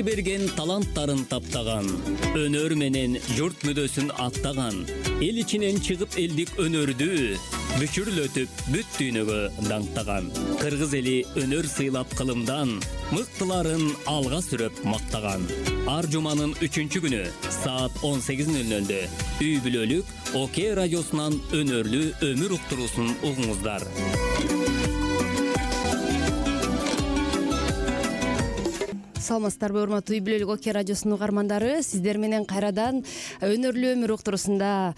берген таланттарын таптаган, өнөр менен журт мүдөсүн аттаган, эл ичинен чыгып элдик өнөрдү бүчүрлөтүп бүт дүйнөгө даңктаган. Кыргыз эли өнөр сыйлап кылымдан, мыктыларын алга сүрөп мактаган. Ар жуманын 3-күнү саат 18:00 үй бүлөлүк ОК радиосунан өнөрлүү өмүр уктуруусун угуңуздар. Саламатсыздарбы, урматтуу үй бүлөлүк ОК радиосунун угармандары. Сиздер менен кайрадан өнөрлүү өмүр уктуруусунда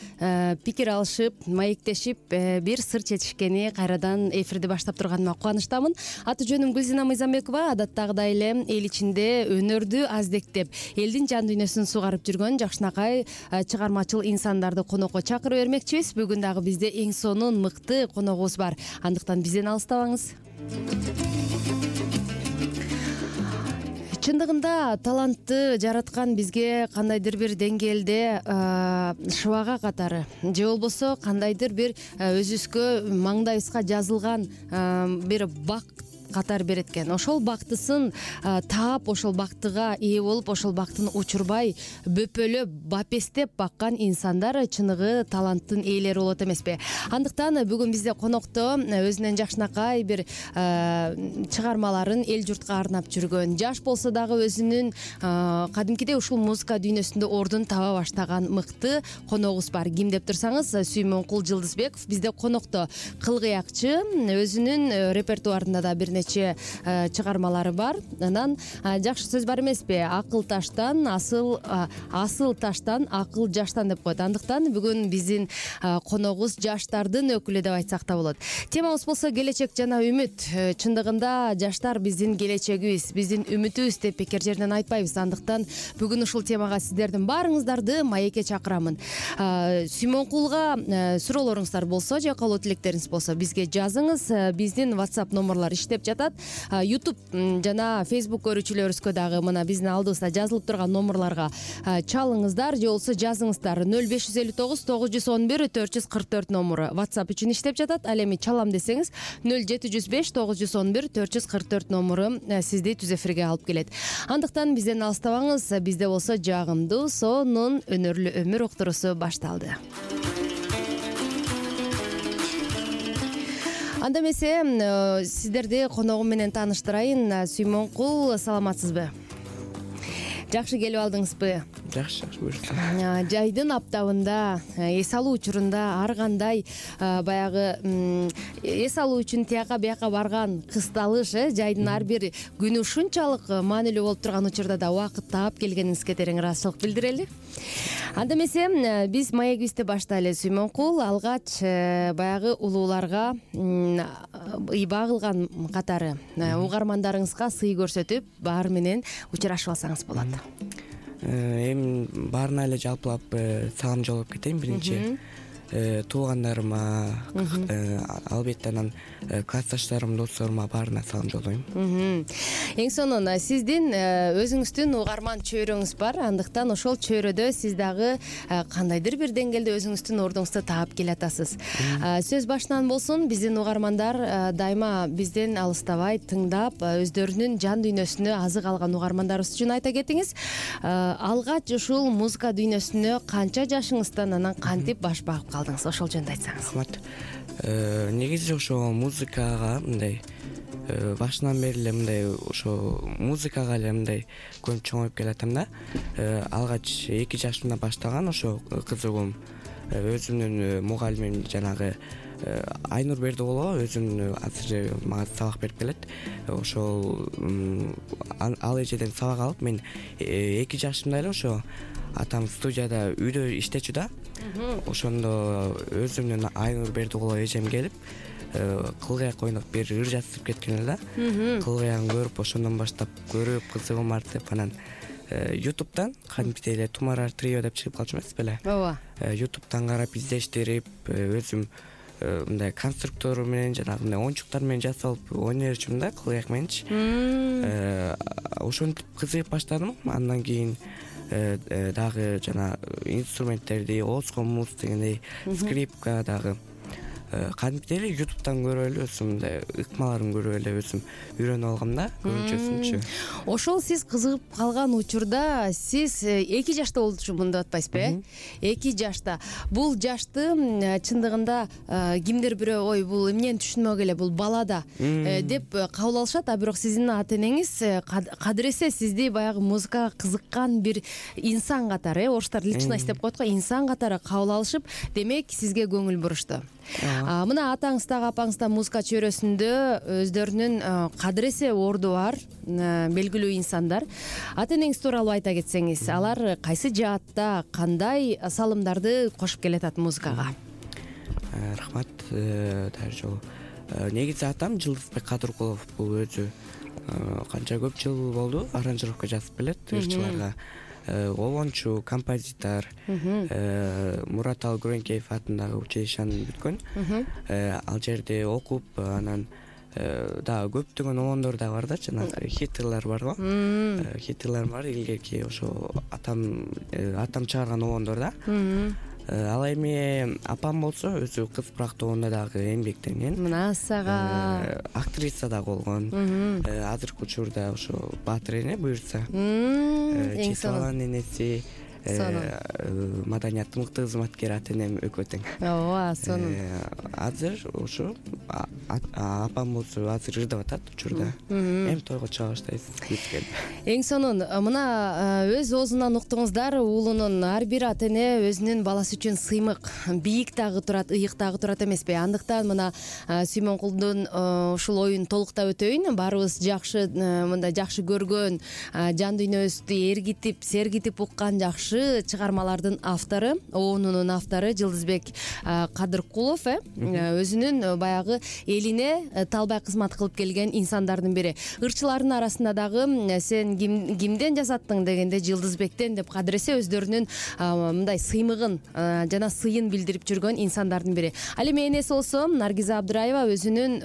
пикир алышып, маектешип, бир сыр чечишкени кайрадан эфирди баштап турганыма кубанычтамын. Аты жөнүм Гүлзина Мыйзамбекова. Адаттагыдай эле эл ичинде өнөрдү аздектеп, элдин жан дүйнөсүн сугарып жүргөн жакшынакай чыгармачыл инсандарды конокко чакырып бермекчибиз. Бүгүн дагы бизде эң сонун мыкты коногубуз бар. Андыктан бизден алыстабаңыз. Чындыгында талантты жараткан бизге кандайдыр бир деңгээлде шыбага катары же болбосо кандайдыр бир өзүбүзгө маңдайыбызга жазылган бир бак катар берет экен. Ошол бактысын таап, ошол бактыга ээ болуп, ошол бактын учурбай, бөпөлөп, бапестеп баккан инсандар чыныгы таланттын ээлери болот эмеспи? Андыктан бүгүн бизде конокто өзүнүн жакшынакай бир чыгармаларын эл журтка арнап жүргөн, жаш болсо дагы өзүнүн кадимкидей ушул музыка дүйнөсүндө ордун таба баштаган мыкты коногубуз бар. Ким деп турсаңыз, Сүймөнкул Жылдызбеков бизде конокто. Кылгыякчы, өзүнүн репертуарында да бир нече чыгармалары бар. Анан жакшы сөз бар эмеспи? Акыл таштан, асыл таштан, акыл жаштан деп коет. Андыктан бүгүн биздин коногубуз жаштардын өкүлү деп айтсак да болот. Темабыз болсо келечек жана үмүт. Чындыгында жаштар биздин келечегибиз, биздин үмүтүбүз деп бекер жерден айтпайбыз. Андыктан бүгүн ушул темага сиздердин баарыңыздарды маекке чакырамын. Сүймөнкулга суроолоруңуздар болсо же каалоо тилектериңиз болсо бизге жазыңыз. Биздин WhatsApp номерлор иштеп жатат. YouTube жана Facebook көрүүчүлөрүбүзгө дагы мына биздин алдыбызда жазылып турган номерлорго чалыңыздар же болбосо жазыңыздар. 0559 911 444 номуру WhatsApp үчүн иштеп жатат. Ал эми чалам десеңиз 0705 911 444 номуру сизди түз эфирге алып келет. Андыктан бизден алыстабаңыз. Бизде болсо жагымдуу, сонун өнөрлүү өмүр уктуруусу башталды. Анда эмесе сиздерди коногум менен тааныштырайын. Сүймөнкул, саламатсызбы? Жакшы келип алдыңызбы? Жакшы буюрса. Жайдын аптабында, эс алуу учурунда ар кандай баягы эс алуу үчүн тияка бияка барган кысталыш, жайдын ар бир күнү ушунчалык маанилүү болуп турган учурда да убакыт таап келгениңизге терең ыраазычылык билдирели. Анда эмесе биз маегибизди баштайлы. Сүймөнкул, алгач баягы улууларга ыйба кылган катары угармандарыңызга сый көрсөтүп, баары менен учурашып алсаңыз болот. Эми баарына эле жалпылап салам жолдоп кетейин. Биринчи туугандарыма, албетте анан классташтарым, досторума баарына салам жолдойм. Эң сонун, сиздин өзүңүздүн угарман чөйрөңүз бар. Андыктан ошол чөйрөдө сиз дагы кандайдыр бир деңгээлде өзүңүздүн ордуңузду таап келатасыз. Сөз башынан болсун, биздин угармандар дайыма бизден алыстабай тыңдап, өздөрүнүн жан дүйнөсүнө азык алган угармандарыбыз үчүн айта кетиңиз. Алгач ушул музыка дүйнөсүнө канча жашыңыздан анан кантип баш багып калдыңыз? Ошол жөнүндө айтсаңыз. Рахмат. Негизи ошо музыкага мындай башынан бери эле мындай ошо музыкага эле мындай көбүнчө чоңоюп келатам да. Алгач 2 жашымда баштаган ошо кызыгуум. Өзүмдүн мугалимим жанагы Айнур Бердиголова өзүм азыр мага сабак берип келет. Ошол ал эжеден сабак алып мен 2 жашымда эле ошо атам студияда үйдө иштечү да. Ошондо өзүмдүн Айнур Бердиголова эжем келип кылгыяк ойноп бир ыр жазып кеткен эле да. Кылгыягын көрүп, ошондон баштап көрүп кызыгым артып, анан YouTube'дан кадимкидей эле Тумарар трио деп чыгып калчу эмес беле? Ооба. YouTube'дан карап издештирип, өзүм мындай конструктору менен жанагы мындай оюнчуктар менен жасалып ойной берчүмүн да, кылгыяк мененчи. Ошентип кызыгып баштадым. Андан кийин дагы жана инструменттерди, оскомус дегендей, скрипка дагы кадимкидей эле ютубтан көрүп эле өзүм мындай ыкмаларын көрүп эле өзүм үйрөнүп алгам да көбүнчөсүнчү. Ошол сиз кызыгып калган учурда сиз 2 жашта болчумун деп атпайсызбы, 2 жашта. Бул жашты чындыгында кимдир бирөө ой бул эмнени түшүнмөк эле, бул бала да деп кабыл алышат, а бирок сиздин ата энеңиз кадыресе сизди баягы музыкага кызыккан бир инсан катары, орустар личность деп коет го, инсан катары кабыл алышып, демек сизге көңүл бурушту. Мына атаңыз дагы апаңыз да музыка чөйрөсүндө өздөрүнүн кадыресе орду бар белгилүү инсандар. Ата энеңиз тууралуу айта кетсеңиз, алар кайсы жаатта кандай салымдарды кошуп келатат музыкага? Рахмат. Дагы жолу негизи атам Жылдызбек Кадыркулов, бул өзү канча көп жыл болду аранжировка жазып келет ырчыларга. Обончу, композитор, Мурат Алгүрөнкеев атындагы училищени бүткөн. Ал жерде окуп, анан дагы көптөгөн обондор да бар да, жанагы хиттерлер бар го. Хиттерлер бар, илгерки ошо атам чыгарган обондор да. Ал эми апам болсо өзү кыз практоонда дагы эмгектенген. Мына сага актриса да болгон. Азыркы учурда ошо Баатыр эне буюрса. Эң сонун энеси, маданияттын мыкты кызматкери ата энем экөө тең. Ооба, сонун. Азыр ошо апам болсо азыр ырдап атат учурда. Эми тойго чыга баштайбыз. Эң сонун. Мына өз оозунан уктуңуздар, уулунун ар бир ата эне өзүнүн баласы үчүн сыймык, бийик дагы турат, ыйык дагы турат эмеспи? Андыктан мына Сүймөнкулдун ушул оюн толуктап өтөйүн. Баарыбыз жакшы, мындай жакшы көргөн, жан дүйнөбүздү эргитип, сергитип уккан жакшы чыгармалардын автору, оонунун автору Жылдызбек Кадыркулов өзүнүн баягы элине талбай кызмат кылып келген инсандардын бири. Ырчылардын арасында дагы сен кимден жасаттың дегенде Жылдызбектен деп кадыресе өздөрүнүн мындай сыймыгын жана сыйын билдирип жүргөн инсандардын бири. Ал эми энеси болсо Наргиза Абдыраева өзүнүн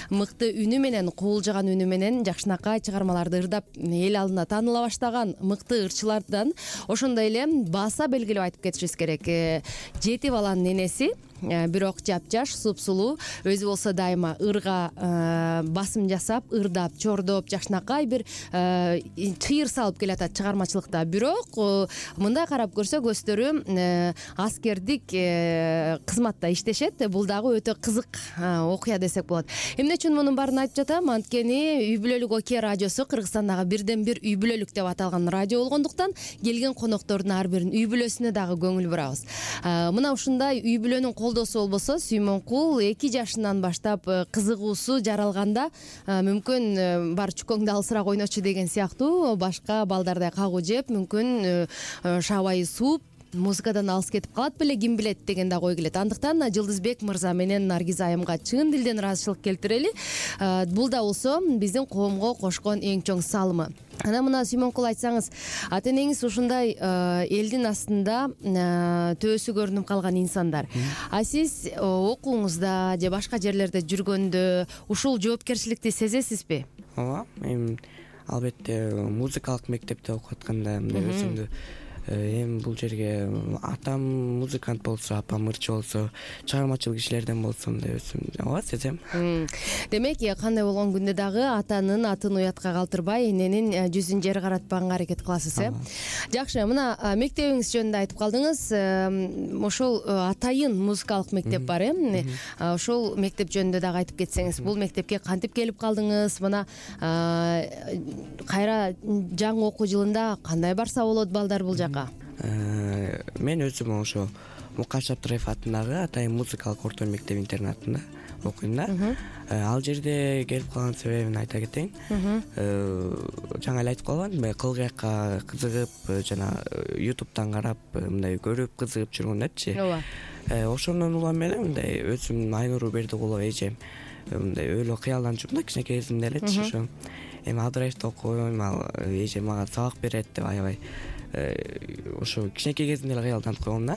мыкты үнү менен, куулжаган үнү менен жакшынакай чыгармаларды ырдап эл алдына тааныла баштаган мыкты ырчылардан. Ошондой эле баса белгилеп айтып кетишибиз керек. 7 баланын энеси, бирок жапжаш, супсулуу, өзү болсо дайыма ырга басым жасап, ырдап, чордоп, жакшынакай бир чыйыр салып келатат чыгармачылыкта. Бирок мындай карап көрсөк, өздөрү аскердик кызматта иштешет. Бул дагы өтө кызык окуя десек болот. Эмне үчүн мунун баарын айтып жатам? Анткени Үй бүлөлүк Оке радиосу Кыргызстандагы бирден бир үй бүлөлүк деп аталган радио болгондуктан келген коноктордун ар биринин үй бүлөсүнө дагы көңүл бурабыз. Мына ушундай үй бүлөнүн колдосу болбосо, Сүймөнкул 2 жашынан баштап кызыгуусу жаралганда мүмкүн бар чукоңду алысыраак ойночу деген сыяктуу башка балдардай кагуу жеп, мүмкүн шабайы сууп, музыкадан алыс кетип калат беле, ким билет деген да ой келет. Андыктан Жылдызбек мырза менен Наргиза айымга чын дилден ыраазычылык келтирели. Бул да болсо биздин коомго кошкон эң чоң салымы. Анан мына Сүймөнкул, айтсаңыз, ата энеңиз ушундай элдин астында төөсү көрүнүп калган инсандар. А сиз окууңузда же башка жерлерде жүргөндө ушул жоопкерчиликти сезесизби? Ооба, эми албетте музыкалык мектепте окуп атканда мындай өзүмдү эми бул жерге атам музыкант болсо, апам ырчы болсо, чыгармачыл кишилерден болсо мындай өзүм ооба сезем. Демек, кандай болгон күндө дагы атанын атын уятка калтырбай, эненин жүзүн жер каратпаганга аракет кыласыз, Жакшы, мына мектебиңиз жөнүндө айтып калдыңыз. Ошол атайын музыкалык мектеп бар, ошол мектеп жөнүндө дагы айтып кетсеңиз, бул мектепке кантип келип калдыңыз? Мына кайра жаңы окуу жылында кандай барса болот балдар бул жака? Мен өзүм ошо Мукаш Абдыраев атындагы атайын музыкалык орто мектеп интернатында окуйм да. Ал жерде келип калган себебин айта кетейин. Жаңы эле айтып калгам, кылгыякка кызыгып, жана ютубтан карап, мындай көрүп кызыгып жүргөндөрчү. Ооба. Ошондон улам эле мындай өзүм Айнуру Бердигулова эжем мындай ойло кыялданчумун да кичинекей кезимде элечи. Ошо эми Абдыраевди окуйм, ал эжем мага сабак берет деп аябай ошо кичинекей кезимде эле кыялданып койгом да.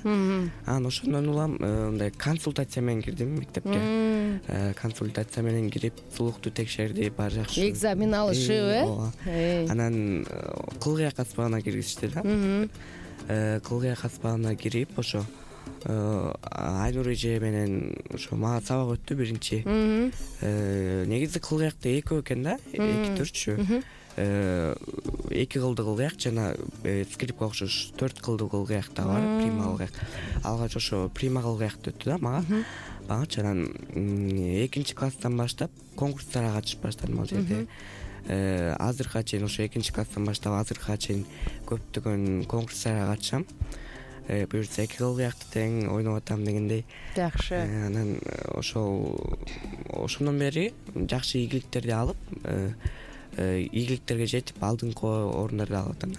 Анан ошондон улам мындай консультация менен кирдим мектепке. Консультация менен кирип, сулукту текшерди, баары жакшы. Экзамен алышып, Анан кылгыяк аспабына киргизишти да. Кылгыяк аспабына кирип, ошо Айнур эже менен ошо мага сабак өттү биринчи. Негизи кылгыякты экөө экен да, эки түрчү. 2 кылдуу кылгыяк жана скрипка окшош 4 кылдуу кылгыяк да бар, прима кылгыяк. Алгач ошо прима кылгыякты өттү да магачы. Анан 2 класстан баштап конкурстарга катышып баштадым ал жерде. Азыркыга чейин ошо 2 класстан баштап азыркыга чейин көптөгөн конкурстарга катышам. Буюрса 2 кылгыякты тең ойноп атам дегендей. Жакшы. Анан ошондон бери жакшы ийгиликтерди алып, ийгиликтерге жетип алдыңкы орундарды алып атам.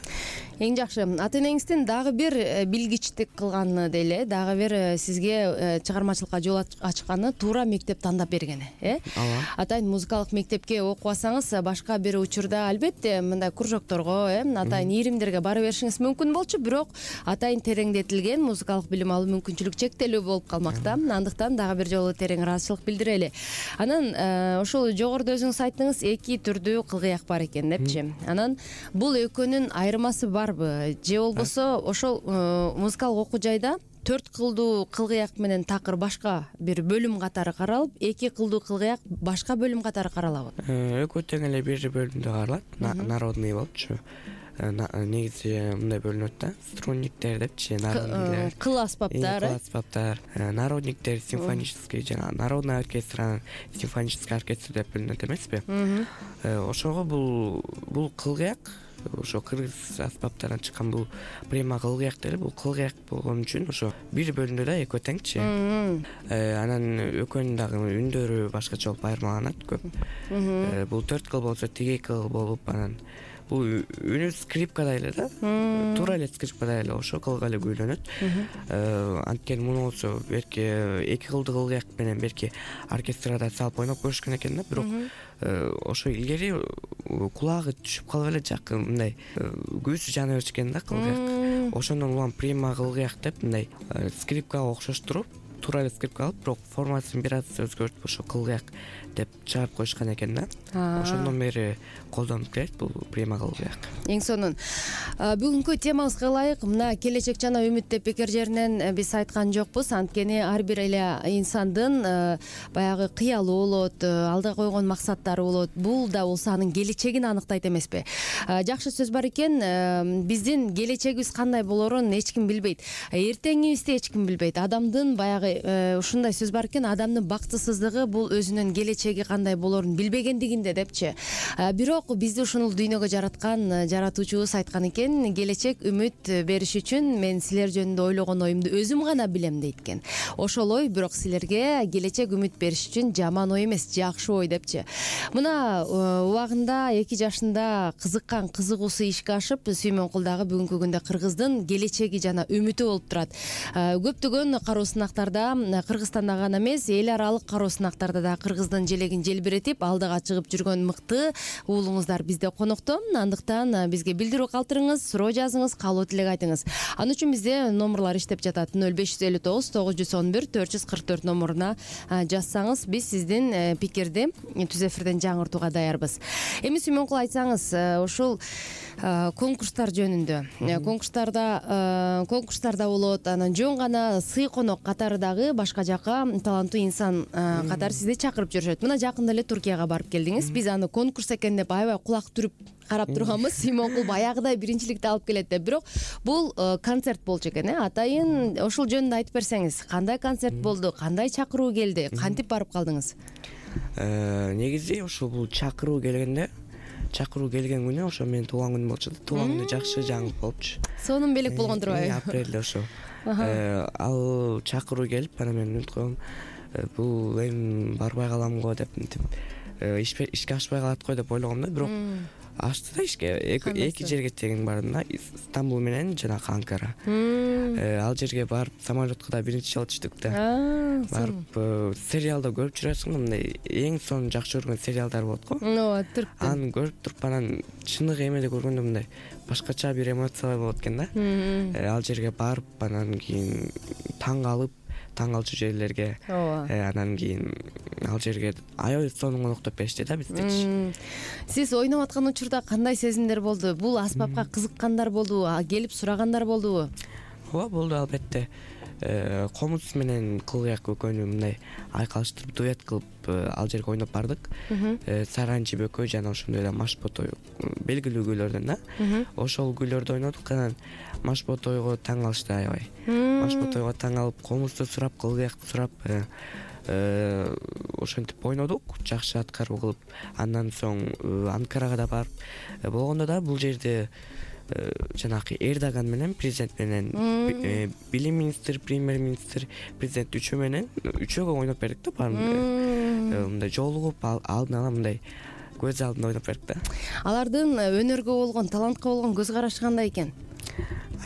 Эң жакшы. Ата энеңиздин дагы бир билгичтик кылганы деле, дагы бир сизге чыгармачылыкка жол ачканы туура мектеп тандап бергени, Ооба. Атайын музыкалык мектепке окубасаңыз, башка бир учурда албетте мындай кружокторго, атайын ийримдерге бара беришиңиз мүмкүн болчу, бирок атайын тереңдетилген музыкалык билим алуу мүмкүнчүлүк чектелүү болуп калмакта. Андыктан дагы бир жолу терең ыраазычылык билдирели. Анан ошол жогоруда өзүңүз айттыңыз, 2 түрдүү кылгыяк бар экен депчи. Анан бул экөөнүн айырмасы барбы? Же болбосо ошол музыкалык окуу жайда 4 кылдуу кылгыяк менен такыр башка бир бөлүм катары каралып, 2 кылдуу кылгыяк башка бөлүм катары каралабы? Экөө тең эле бир бөлүмдө каралат. Народный болчу. Негизи мындай бөлүнөт да, струнниктер депчи, народнийлер. Кыл аспаптар, Кыл аспаптар, народниктер, симфонический жана народный оркестр, симфонический оркестр деп бөлүнөт эмеспи? Ошого бул кылгыяк, ошо кыргыз аспаптарынан чыккан бул прима кылгыяк деле, бул кылгыяк болгон үчүн ошо бир бөлүндө да экөө теңчи. Анан экөөнүн дагы үндөрү башкача болуп айырмаланат көп. Бул 4 кыл болсо, тиги 2 кыл болуп, анан бул үнү скрипкада эле да, туура эле скрипкада эле ошо кылга эле күүлөнөт. Анткени муну болсо берки 2 кылдуу кылгыяк менен берки оркестрада салып ойноп көрүшкөн экен да, бирок ошо илгери кулагы түшүп калып эле жакын мындай күүсү жана беришкен да кылгыяк. Ошондон улам прима кылгыяк деп мындай скрипкага окшоштуруп, туура эле скрипка алып, бирок формасын бир аз өзгөртүп ошо кылгыяк деп чыгарып коюшкан экен да. Ошондон бери колдонуп келет бул прима кылгыяк. Эң сонун. Бүгүнкү темабызга ылайык, мына келечек жана үмүт деп бекер жеринен биз айткан жокпуз. Анткени ар бир эле инсандын баягы кыялы болот, алда койгон максаттары болот. Бул да болсо анын келечегин аныктайт эмеспи? Жакшы сөз бар экен, биздин келечегибиз кандай болорун эч ким билбейт. Эртеңибизди эч ким билбейт. Адамдын баягы ушундай сөз бар экен, адамдын бактысыздыгы бул өзүнүн келечеги кандай болорун билбегендигинде депчи. Бирок бизди ушул дүйнөгө жараткан жаратуучубуз айткан экен, келечек үмүт бериш үчүн мен силер жөнүндө ойлогон оюмду өзүм гана билем дейт экен. Ошол ой бирок силерге келечек үмүт бериш үчүн жаман ой эмес, жакшы ой депчи. Мына убагында 2 жашында кызыккан кызыгуусу ишке ашып, Сүймөнкул дагы бүгүнкү күндө Кыргыздын келечеги жана үмүтү болуп турат. Көптөгөн кароо сынактарда, Кыргызстанда гана эмес, эл аралык кароо сынактарда да Кыргыздын желегин желбиретип, алдыга чыгып жүргөн мыкты уулуңуздар бизде конокто. Андыктан бизге билдирүү калтырыңыз, суроо жазыңыз, каалоо тилек айтыңыз. Ан үчүн бизде номерлар иштеп жатат. 0559 911 444 номуруна жазсаңыз, биз сиздин пикирди түз эфирден жаңыртууга даярбыз. Эми Сүймөнкул айтсаңыз, ушул конкурстар жөнүндө. Конкурстарда болот, анан жөн гана сый конок катары дагы башка жака таланттуу инсан катары сизди чакырып жүрүшөт. Мына жакында эле Туркияга барып келдиңиз. Биз аны конкурс экен деп аябай кулак түрүп карап турганбыз. Сүймөнкул баягыдай биринчиликти алып келет деп. Бирок бул концерт болчу экен, Атайын ошол жөнүндө айтып берсеңиз, кандай концерт болду, кандай чакыруу келди, кантип барып калдыңыз? Негизи ошол бул чакыруу келген күнү ошо менин туулган күнүм болчу. Туулган күнү жакшы жаңылык болупчу. Сонун белек болгондурбайбы? Апрелде ошо. Ал чакыруу келип, анан мен үмүт койгом, бул эми барбай калам го деп, ишке ашпай калат го деп ойлогом да, бирок ашты да ишке. Эки жерге тең бардым да, Стамбул менен жана Анкара. Ал жерге барып самолетко да биринчи жолу түштүк да. Барып сериалда көрүп жүрөсүң, мындай эң сонун жакшы көргөн сериалдар болот го. Ооба, түрктү. Аны көрүп туруп, анан чыныгы эмеде көргөндө мындай башкача бир эмоциялар болот экен да. Ал жерге барып, анан кийин таң калчу жерлерге, анан кийин ал жерге аябай сонун коноктоп беришти да биздечи. Сиз ойноп аткан учурда кандай сезимдер болду? Бул аспапка кызыккандар болдубу? Келип сурагандар болдубу? Ооба, болду албетте. Комуз менен Кылгыяк экөөнү мындай айкалыштырып дуэт кылып ал жерге ойноп бардык. Саранчы бөкөй жана ошондой эле Машботой белгилүү күйлөрдөн да. Ошол күйлөрдү ойнодук. Анан Машботойго таң калышты аябай. Машботойго таң калып, Комузду сурап, Кылгыякты сурап ошентип ойнодук, жакшы аткаруу кылып. Андан соң Анкарага да барып болгондо да бул жерде жанагы Эрдоган менен президент менен билим министри, премьер-министр, президент үчөөгө ойноп бердик да баарын. Мындай жолугуп алдын ала мындай көз алдында ойноп бердик да. Алардын өнөргө болгон, талантка болгон көз карашы кандай экен?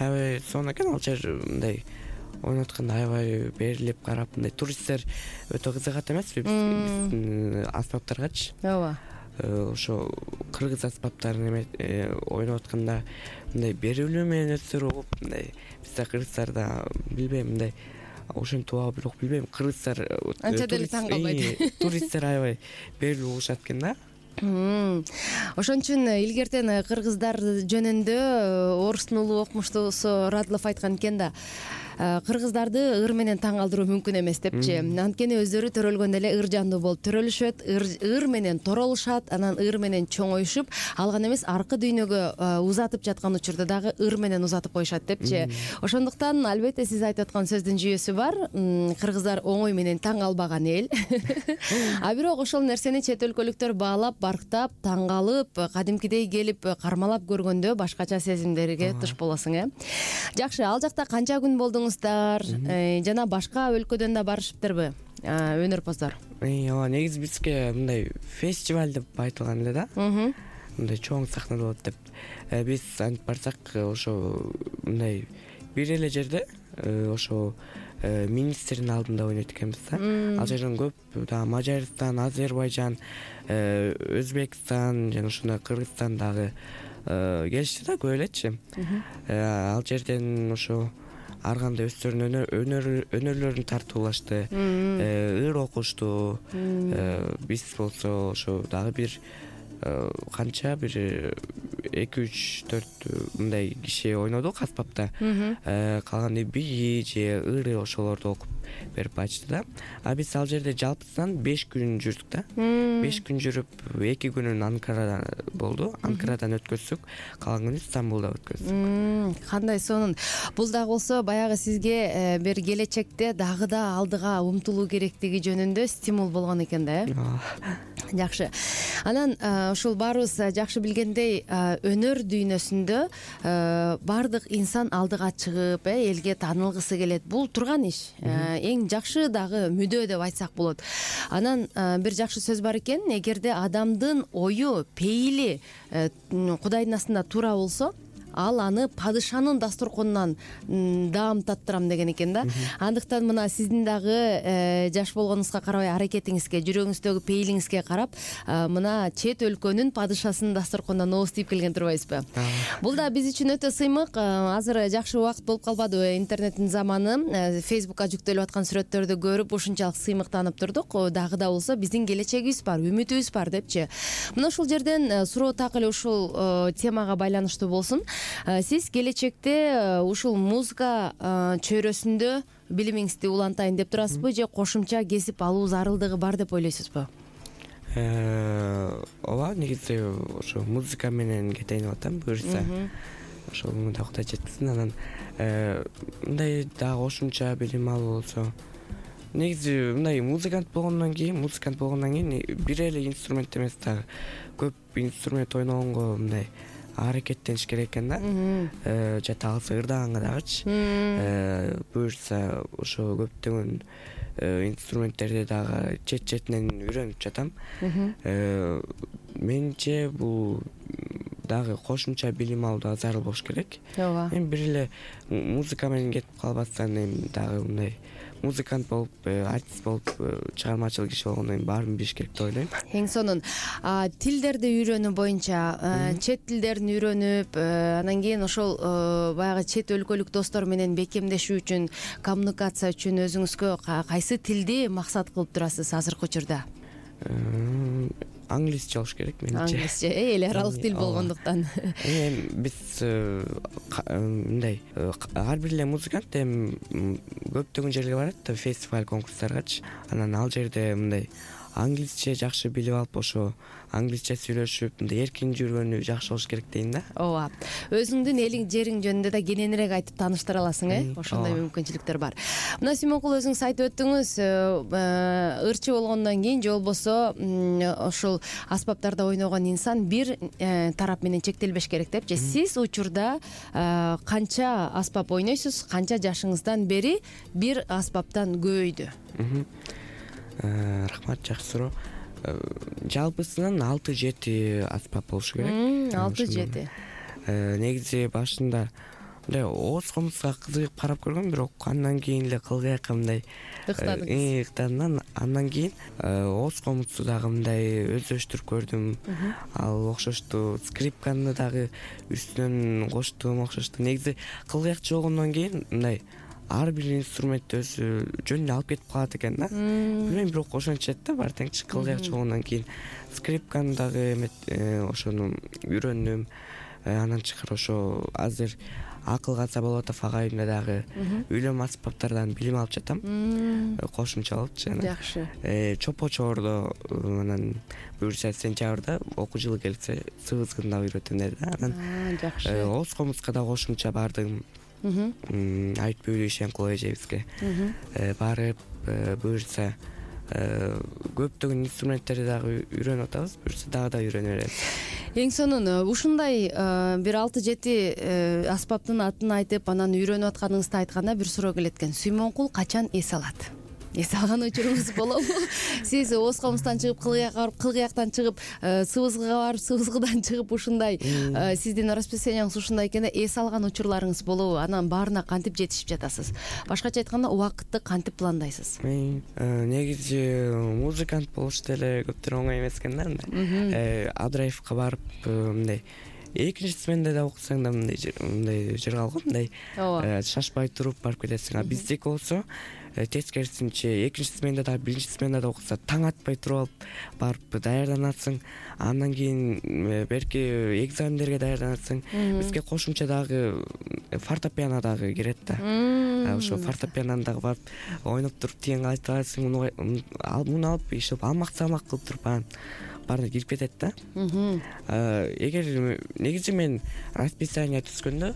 Аябай сонун экен. Ал жер мындай ойноткондо аябай берилип карап, мындай туристтер өтө кызыгат эмеспи биздин аспаптаргачы? Ооба. Ошо кыргыз аспаптарын ойноп атканда мындай берилүү менен өздөрү угуп, мындай бизде кыргыздарда билбейм, мындай ошентип угабы бирок билбейм, кыргыздар анча деле таң калбайт. Туристтер аябай берилүү угушат экен да. Ошон үчүн илгертен кыргыздар жөнүндө Орустун улуу окумуштуусу Радлов айткан экен да. Кыргыздарды ыр менен таң калтыруу мүмкүн эмес депчи. Анткени өздөрү төрөлгөндө эле ыр жандуу болуп төрөлүшөт, ыр менен торолушат, анан ыр менен чоңоюшуп, ал гана эмес аркы дүйнөгө узатып жаткан учурда дагы ыр менен узатып коюшат депчи. Ошондуктан албетте сиз айтып аткан сөздүн жүйөсү бар. Кыргыздар оңой менен таң калбаган эл. А бирок ошол нерсени чет өлкөлүктөр баалап, барктап, таң калып, кадимкидей келип кармалап көргөндө башкача сезимдерге туш болосуң, Жакшы, ал жакта канча күн болдуңуз? Жана башка өлкөдөн да барышыптырбы өнөрпоздор? Ооба, негизи бизге мындай фестиваль деп айтылган эле да. Мындай чоң сахнада болот деп. Биз антип барсак, ошо мындай бир эле жерде ошо министрдин алдында ойнойт экенбиз да. Ал жерден көп дагы Мажарстан, Азербайжан, Өзбекстан жана ошондой Кыргызстан дагы келишти да, көп элечи. Ал жерден ошо ар кандай өздөрүнүн өнөрлөрүн тартуулашты, ыр окушту. Биз болсо ошо дагы бир канча бир 2-3-4 мындай киши ойнодук аспапта. Калганы бии же ыры ошолорду окуп берип айтышты да. А биз ал жерде жалпысынан 5 күн жүрдүк да. 5 күн жүрүп, 2 күнүн Анкарада болду. Анкарадан өткөздүк, калган күнү Стамбулда өткөздүк. Кандай сонун. Бул дагы болсо баягы сизге бир келечекте дагы да алдыга умтулуу керектиги жөнүндө стимул болгон экен да, Жакшы. Анан ушул баарыбыз жакшы билгендей, өнөр дүйнөсүндө баардык инсан алдыга чыгып, элге таанылгысы келет. Бул турган иш. Эң жакшы дагы мүдөө деп айтсак болот. Анан бир жакшы сөз бар экен, эгерде адамдын ою, пейили Кудайдын астында туура болсо, ал аны падышанын дасторконунан даам таттырам деген экен да. Андыктан мына сиздин дагы жаш болгонуңузга карабай аракетиңизге, жүрөгүңүздөгү пейилиңизге карап, мына чет өлкөнүн падышасынын дасторконунан ооз тийип келген турбайсызбы? Бул да биз үчүн өтө сыймык. Азыр жакшы убакыт болуп калбадыбы? Интернеттин заманы. Фейсбукка жүктөлүп аткан сүрөттөрдү көрүп ушунчалык сыймыктанып турдук. Дагы да болсо биздин келечегибиз бар, үмүтүбүз бар депчи. Мына ушул жерден суроо так эле ушул темага байланыштуу болсун. Сиз келечекте ушул музыка чөйрөсүндө билимиңизди улантайын деп турасызбы же кошумча кесип алуу зарылдыгы бар деп ойлойсузбу? Ооба, негизи ошо музыка менен кетейин деп атам, буюрса. Ошону да Кудай жеткизсин. Анан мындай дагы кошумча билим алуу болсо, негизи мындай музыкант болгондон кийин бир эле инструмент эмес дагы көп инструмент ойногонго мындай аракеттениш керек экен да. Жата калса ырдаганга дагычы. Буюрса ошо көптөгөн инструменттерди дагы четинен үйрөнүп жатам. Менимче бул дагы кошумча билим алуу дагы зарыл болуш керек. Ооба. Эми бир эле музыка менен кетип калбастан эми дагы мындай музыкант болуп, артист болуп, чыгармачыл киши болгондон кийин баарын билиш керек деп ойлойм. Эң сонун. Тилдерди үйрөнүү боюнча, чет тилдерин үйрөнүп, анан кийин ошол баягы чет өлкөлүк достор менен бекемдешүү үчүн, коммуникация үчүн өзүңүзгө кайсы тилди максат кылып турасыз азыркы учурда? англисче болуш керек менимче. Англисче эл аралык тил болгондуктан. Эми биз мындай ар бир эле музыкант эми көптөгөн жерге барат да, фестиваль конкурстаргачы. Анан ал жерде мындай англисче жакшы билип алып, ошо англисче сүйлөшүп, мындай эркин жүргөнү жакшы болуш керек дейм да. Ооба. Өзүңдүн элиң, жериң жөнүндө да кененирээк айтып тааныштыра аласың, ошондой мүмкүнчүлүктөр бар. Мына Сүймөнкул, өзүңүз айтып өттүңүз, ырчы болгондон кийин же болбосо ошол аспаптарда ойногон инсан бир тарап менен чектелбеш керек деп. Же сиз учурда канча аспап ойнойсуз, канча жашыңыздан бери бир аспаптан көбөйдү? Рахмат, жакшы суроо. Жалпысынан 6-7 аспап болушу керек. 6-7. Негизи башында мындай ооз комузга кызыгып карап көргөм, бирок андан кийин эле кылгыякка мындай ыктадым. Андан кийин ооз комузду дагы мындай өздөштүрүп көрдүм. Ал окшошту. Скрипканы дагы үстүнөн коштум, окшошту. Негизи кылгыякчы болгондон кийин мындай ар бир инструмент өзү жөнүнө алып кетип калат экен да. Билбейм, бирок ошентчет да баары теңчи. Кылгыякчы болгондон кийин скрипканы дагы ошону үйрөндүм. Андан тышкары ошо азыр Акыл Казаболотов агайымда дагы үйлөнмө аспаптардан билим алып жатам. Кошумча болупчу. Жакшы. Чопо Чоордо анан буюрса сентябрда окуу жылы келсе сыбызгын да үйрөтөм деди да. Анан жакшы. Ооз комузга да кошумча бардым. Айтпөйлүү Ишенкул эжебизге барып, буюрса көптөгөн инструменттерди дагы үйрөнүп атабыз, буюрса дагы да үйрөнө беребиз. Эң сонун ушундай бир 6-7 аспаптын атын айтып, анан үйрөнүп атканыңызды айтканда бир суроо келет экен. Сүймөнкул качан эс алат? Эс алган учуруңуз болобу? Сиз ооз комуздан чыгып, кылгыякка барып, кылгыяктан чыгып, сыбызгыга барып, сыбызгыдан чыгып, ушундай сиздин расписанияңыз ушундай экенде эс алган учурларыңыз болобу? Анан баарына кантип жетишип жатасыз? Башкача айтканда, убакытты кантип пландайсыз? Негизи музыкант болуш деле көптөр оңой эмес экен да. Адрайвка барып, мындай экинчи сменде да окусаң да мындай жыргалгы, мындай шашпай туруп барып кетесиң. А биздеки болсо тескерисинче экинчи сменде да, биринчи сменде да окуса таң атпай туруп алып барып даярданасың. Андан кийин берки экзамендерге даярданасың. Бизге кошумча дагы фортепиано дагы кирет да. Ошо фортепиананы дагы барып ойноп туруп тигенге айтып аласың, муну алып ишип алмак-салмак кылып туруп баарына кирип кетет да. Эгер негизи мен расписание түзгөндө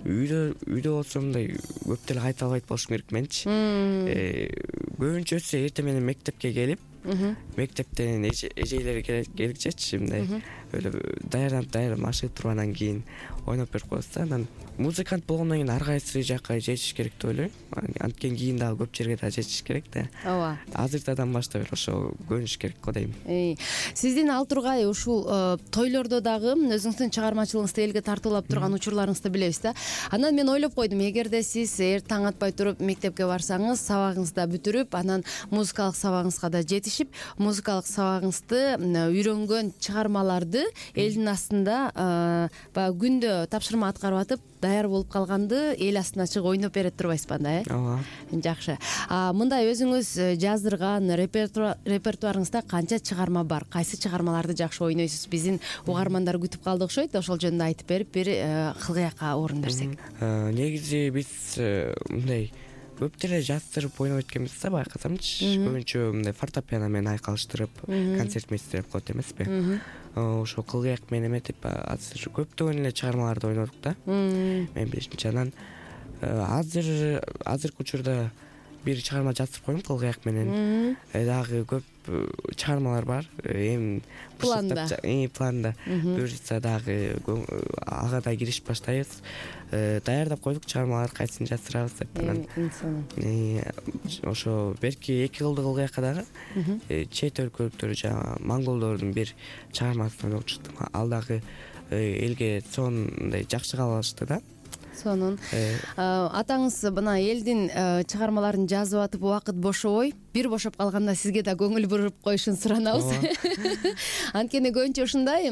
үйдө болсо мындай көп деле кайталбайт болушум керек менчи. Көбүнчөсү эртең менен мектепке келип, мектептен эжейлер келгичечи мындай даярданып ашыгып туруп анан кийин ойноп берип коебуз да. Анан музыкант болгондон кийин ар кайсы жакка жетиш керек деп ойлойм. Анткени кийин дагы көп жерге да жетиш керек да. Ооба. Азыртадан баштап эле ошо көрүнүш керек го дейм. Сиздин ал тургай ушул тойлордо дагы өзүңүздүн чыгармачылыгыңызды элге тартуулап турган учурларыңызды билебиз да. Анан мен ойлоп койдум, эгерде сиз таң атпай туруп мектепке барсаңыз, сабагыңызды да бүтүрүп, анан музыкалык сабагыңызга да жетишип, музыкалык сабагыңызды үйрөнгөн чыгармаларды элдин астында баягы күндө тапшырма аткарып атып даяр болуп калганды эл астына чыгып ойноп берет турбайсызбы анда, Ооба. Жакшы. Мындай өзүңүз жаздырган репертуарыңызда канча чыгарма бар? Кайсы чыгармаларды жакшы ойнойсуз? Биздин угармандар күтүп калды окшойт. Ошол жөнүндө айтып берип, бир кылгыякка орун берсек. Негизи биз мындай көп деле жаздырып ойноп эткенбиз да, байкасамчы. Көбүнчө мындай фортепиано менен айкалыштырып, концерт мейстерлеп коет эмеспи? Ошо кылгыяк менен эметип азыр көптөгөн эле чыгармаларды ойнодук да. Мен билишимче. Анан азыркы учурда бир чыгарма жаздырып койдум кылгыяк менен. Дагы көп чыгармалар бар. Эми планда. Буюрса дагы ага да киришип баштайбыз. Даярдап койдук чыгармаларды, кайсын жаздырабыз деп. Анан ошо берки 2 кылдык кылгыякка дагы чет өлкөлүктөр, жана монголдордун бир чыгармасын ойноп чыктым. Ал дагы элге сонундай жакшы кабыл алышты да. Сонун. Атаңыз мына элдин чыгармаларын жазып атып убакыт бошобой бир бошоп калганда сизге да көңүл буруп коюшун суранабыз. Анткени көбүнчө ушундай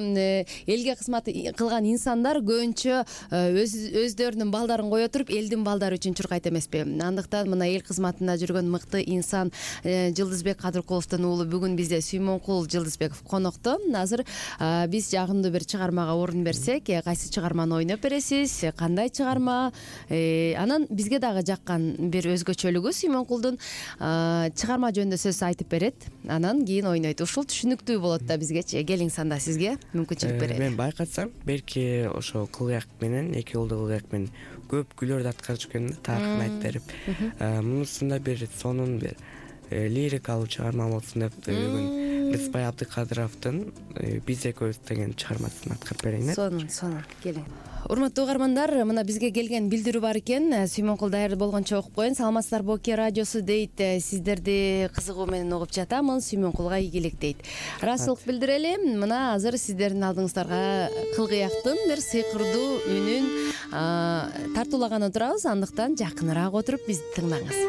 элге кызмат кылган инсандар көбүнчө өздөрүнүн балдарын кое туруп элдин балдары үчүн чуркайт эмеспи? Андыктан мына эл кызматында жүргөн мыкты инсан Жылдызбек Кадыркуловдун уулу бүгүн бизде Сүймөнкул Жылдызбеков конокто. Азыр биз жагымдуу бир чыгармага орун берсек, кайсы чыгарманы ойноп бересиз? Кандай чыгарма? Анан бизге дагы жаккан бир өзгөчөлүгү Сүймөнкулдун чыгарма жөнүндө сөз айтып берет. Анан кийин ойнойт. Ушул түшүнүктүү болот да бизгечи. Келиңиз анда сизге мүмкүнчүлүк берели. Мен байкасам, белки ошо Кылыяк менен, эки уулду Кылыяк менен көп күйлөрдү аткарып жүргөн да, тарыхын айтып берип. Мунусунда бир сонун бир лирикалуу чыгарма болсун деп бүгүн Рыспай Абдыкадыровдун Биз экөөбүз деген чыгармасын аткарып берейин. Сонун. Келиң. Урматтуу угармандар, мына бизге келген билдирүү бар экен. Сүймөнкул даярдуу болгончо окуп коеюн. Саламатсыздарбы, Оке радиосу дейт. Сиздерди кызыгуу менен угуп жатамын. Сүймөнкулга ийгилик дейт. Ыраазычылык билдирели. Мына азыр сиздердин алдыңыздарга Кылыяктын бир сыйкырдуу үнүн тартуулаган отурабыз. Андыктан жакыныраак отуруп бизди тыңдаңыз.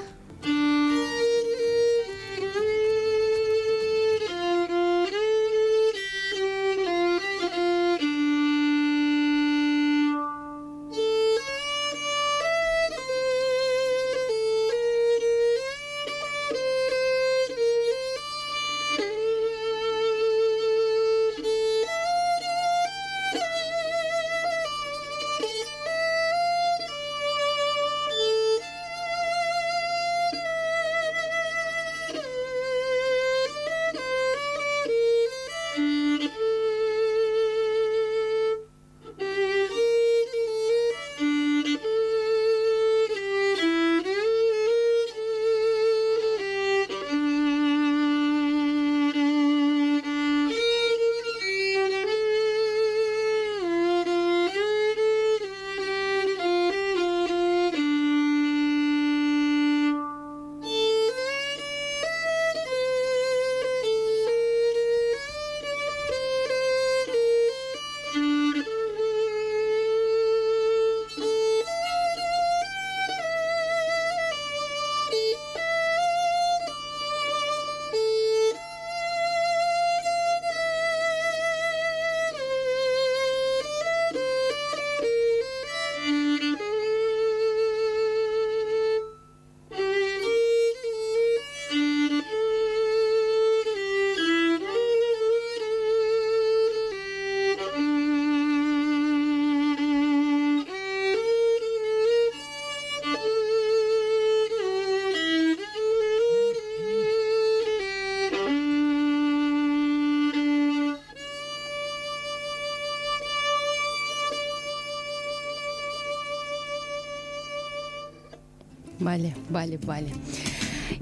Бали.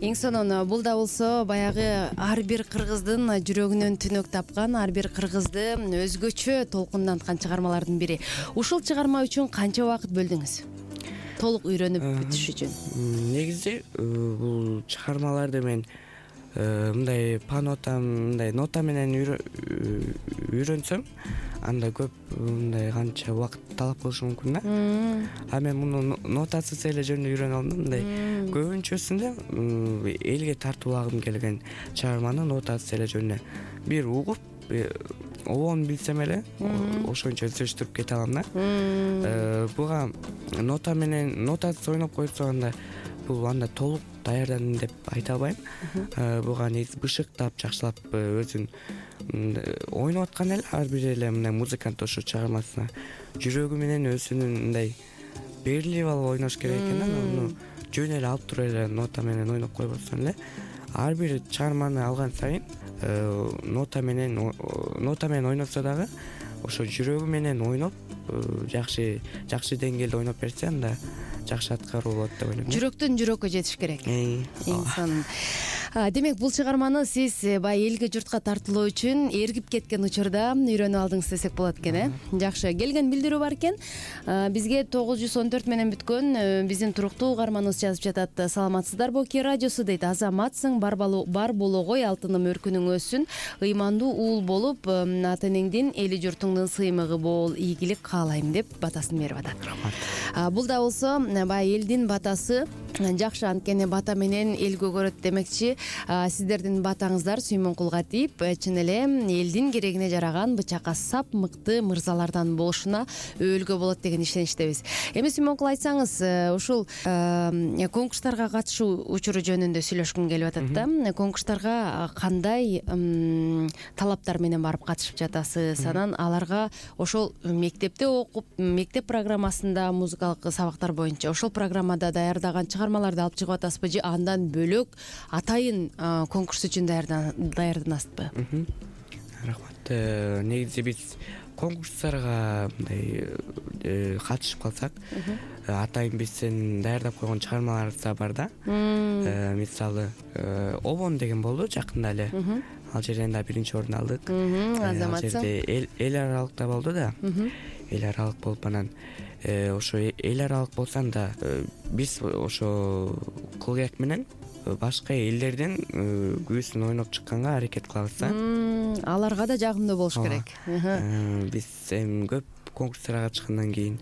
Эң сонун бул да болсо баягы ар бир кыргыздын жүрөгүнөн түнөк тапкан, ар бир кыргызды өзгөчө толкунданткан чыгармалардын бири. Ушул чыгарма үчүн канча убакыт бөлдүңүз? Толук үйрөнүп бүтүш үчүн. Негизи бул чыгармаларды мен мындай мындай нота менен үйрөнсөм, анда көп мындай канча убакыт талап кылышы мүмкүн да. А мен муну нотасыз эле жөнүндө үйрөнүп алдым. Мындай көбүнчөсүндө элге тартуулагым келген чыгарманы нотасыз эле жөнүндө бир угуп, обон билсем эле ошончо өздөштүрүп кете алам да. Буга нотасыз ойноп койсо анда толук даярдандым деп айта албайм. Буга негизи бышыктап, жакшылап өзүн ойноп аткан эле ар бир эле мындай музыкант ошо чыгармасына жүрөгү менен өзүнүн мындай берилип алып ойнош керек экен да. Муну жөн эле алып туруп эле нота менен ойноп койбостон эле ар бир чыгарманы алган сайын нота менен ойносо дагы ошо жүрөгү менен ойноп жакшы деңгээлде ойноп берсе анда жакшы аткаруу болот деп ойлойм. Жүрөктөн жүрөккө жетиш керек. Инсан. Демек бул чыгарманы сиз баягы элге журтка тартуулоо үчүн эргип кеткен учурда үйрөнүп алдыңыз десек болот экен, Жакшы. Келген билдирүү бар экен. Бизге 914 менен бүткөн биздин туруктуу угарманыбыз жазып жатат. Саламатсыздарбы, Оке радиосу дейт. Азаматсың, бар болгой алтыным өркүнүң өссүн. Ыймандуу уул болуп, ата энеңдин, эли журтуңдун сыймыгы бол, ийгилик каалайм деп батасын берип атат. Бул да болсо баягы элдин батасы Жакшы, анткени бата менен эл көгөрөт демекчи, сиздердин батаңыздар Сүймөнкулга тийип, чын эле элдин керегине жараган бычакка сап мыкты мырзалардан болушуна өөлгө болот деген ишеничтебиз. Эми Сүймөнкул, айтсаңыз, ушул конкурстарга катышуу учуру жөнүндө сүйлөшкүм келип атат да. Конкурстарга кандай талаптар менен барып катышып жатасыз? Анан аларга ошол мектепте окуп, мектеп программасында музыкалык сабактар боюнча ошол программада даярдаган чыгармаларды алып чыгып атасызбы же андан бөлөк атайын конкурс үчүн даярданасызбы? Рахмат. Негизи биз конкурстарга мындай катышып калсак, атайын биздин даярдап койгон чыгармаларыбыз да бар да. Мисалы, Обон деген болду жакында эле. Ал жерден да биринчи орун алдык. Ал жерде эл аралыкта болду да. Эл аралык болуп, анан ошо эл аралык болсо да биз ошо кылгыяк менен башка элдердин күбүсүн ойноп чыкканга аракет кылабыз да. Аларга да жагымдуу болуш керек. Биз эми көп конкурстарга катышкандан кийин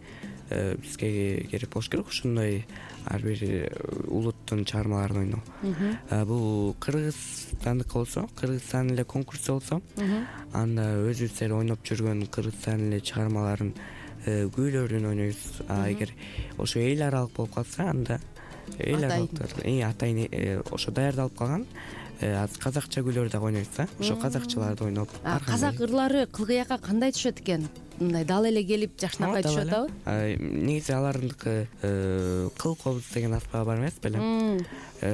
бизге керек болуш керек ошондой ар бир улуттун чыгармаларын ойноо. Бул Кыргызстандыкы болсо, Кыргызстандын эле конкурсу болсо, анда өзүбүз эле ойноп жүргөн Кыргызстандын эле чыгармаларын күүлөрүн ойнойбуз. Эгер ошо эл аралык болуп калса, анда эл аралыктар атайын ошо даярдалып калган казакча күйлөрдү дагы ойнойбуз да. Ошо казакчаларды ойноп. Казак ырлары кылгыякка кандай түшөт экен? Мындай дал эле келип жакшынакай түшөт абы? Негизи алардыкы кыл кобуз деген аспабы бар эмес беле?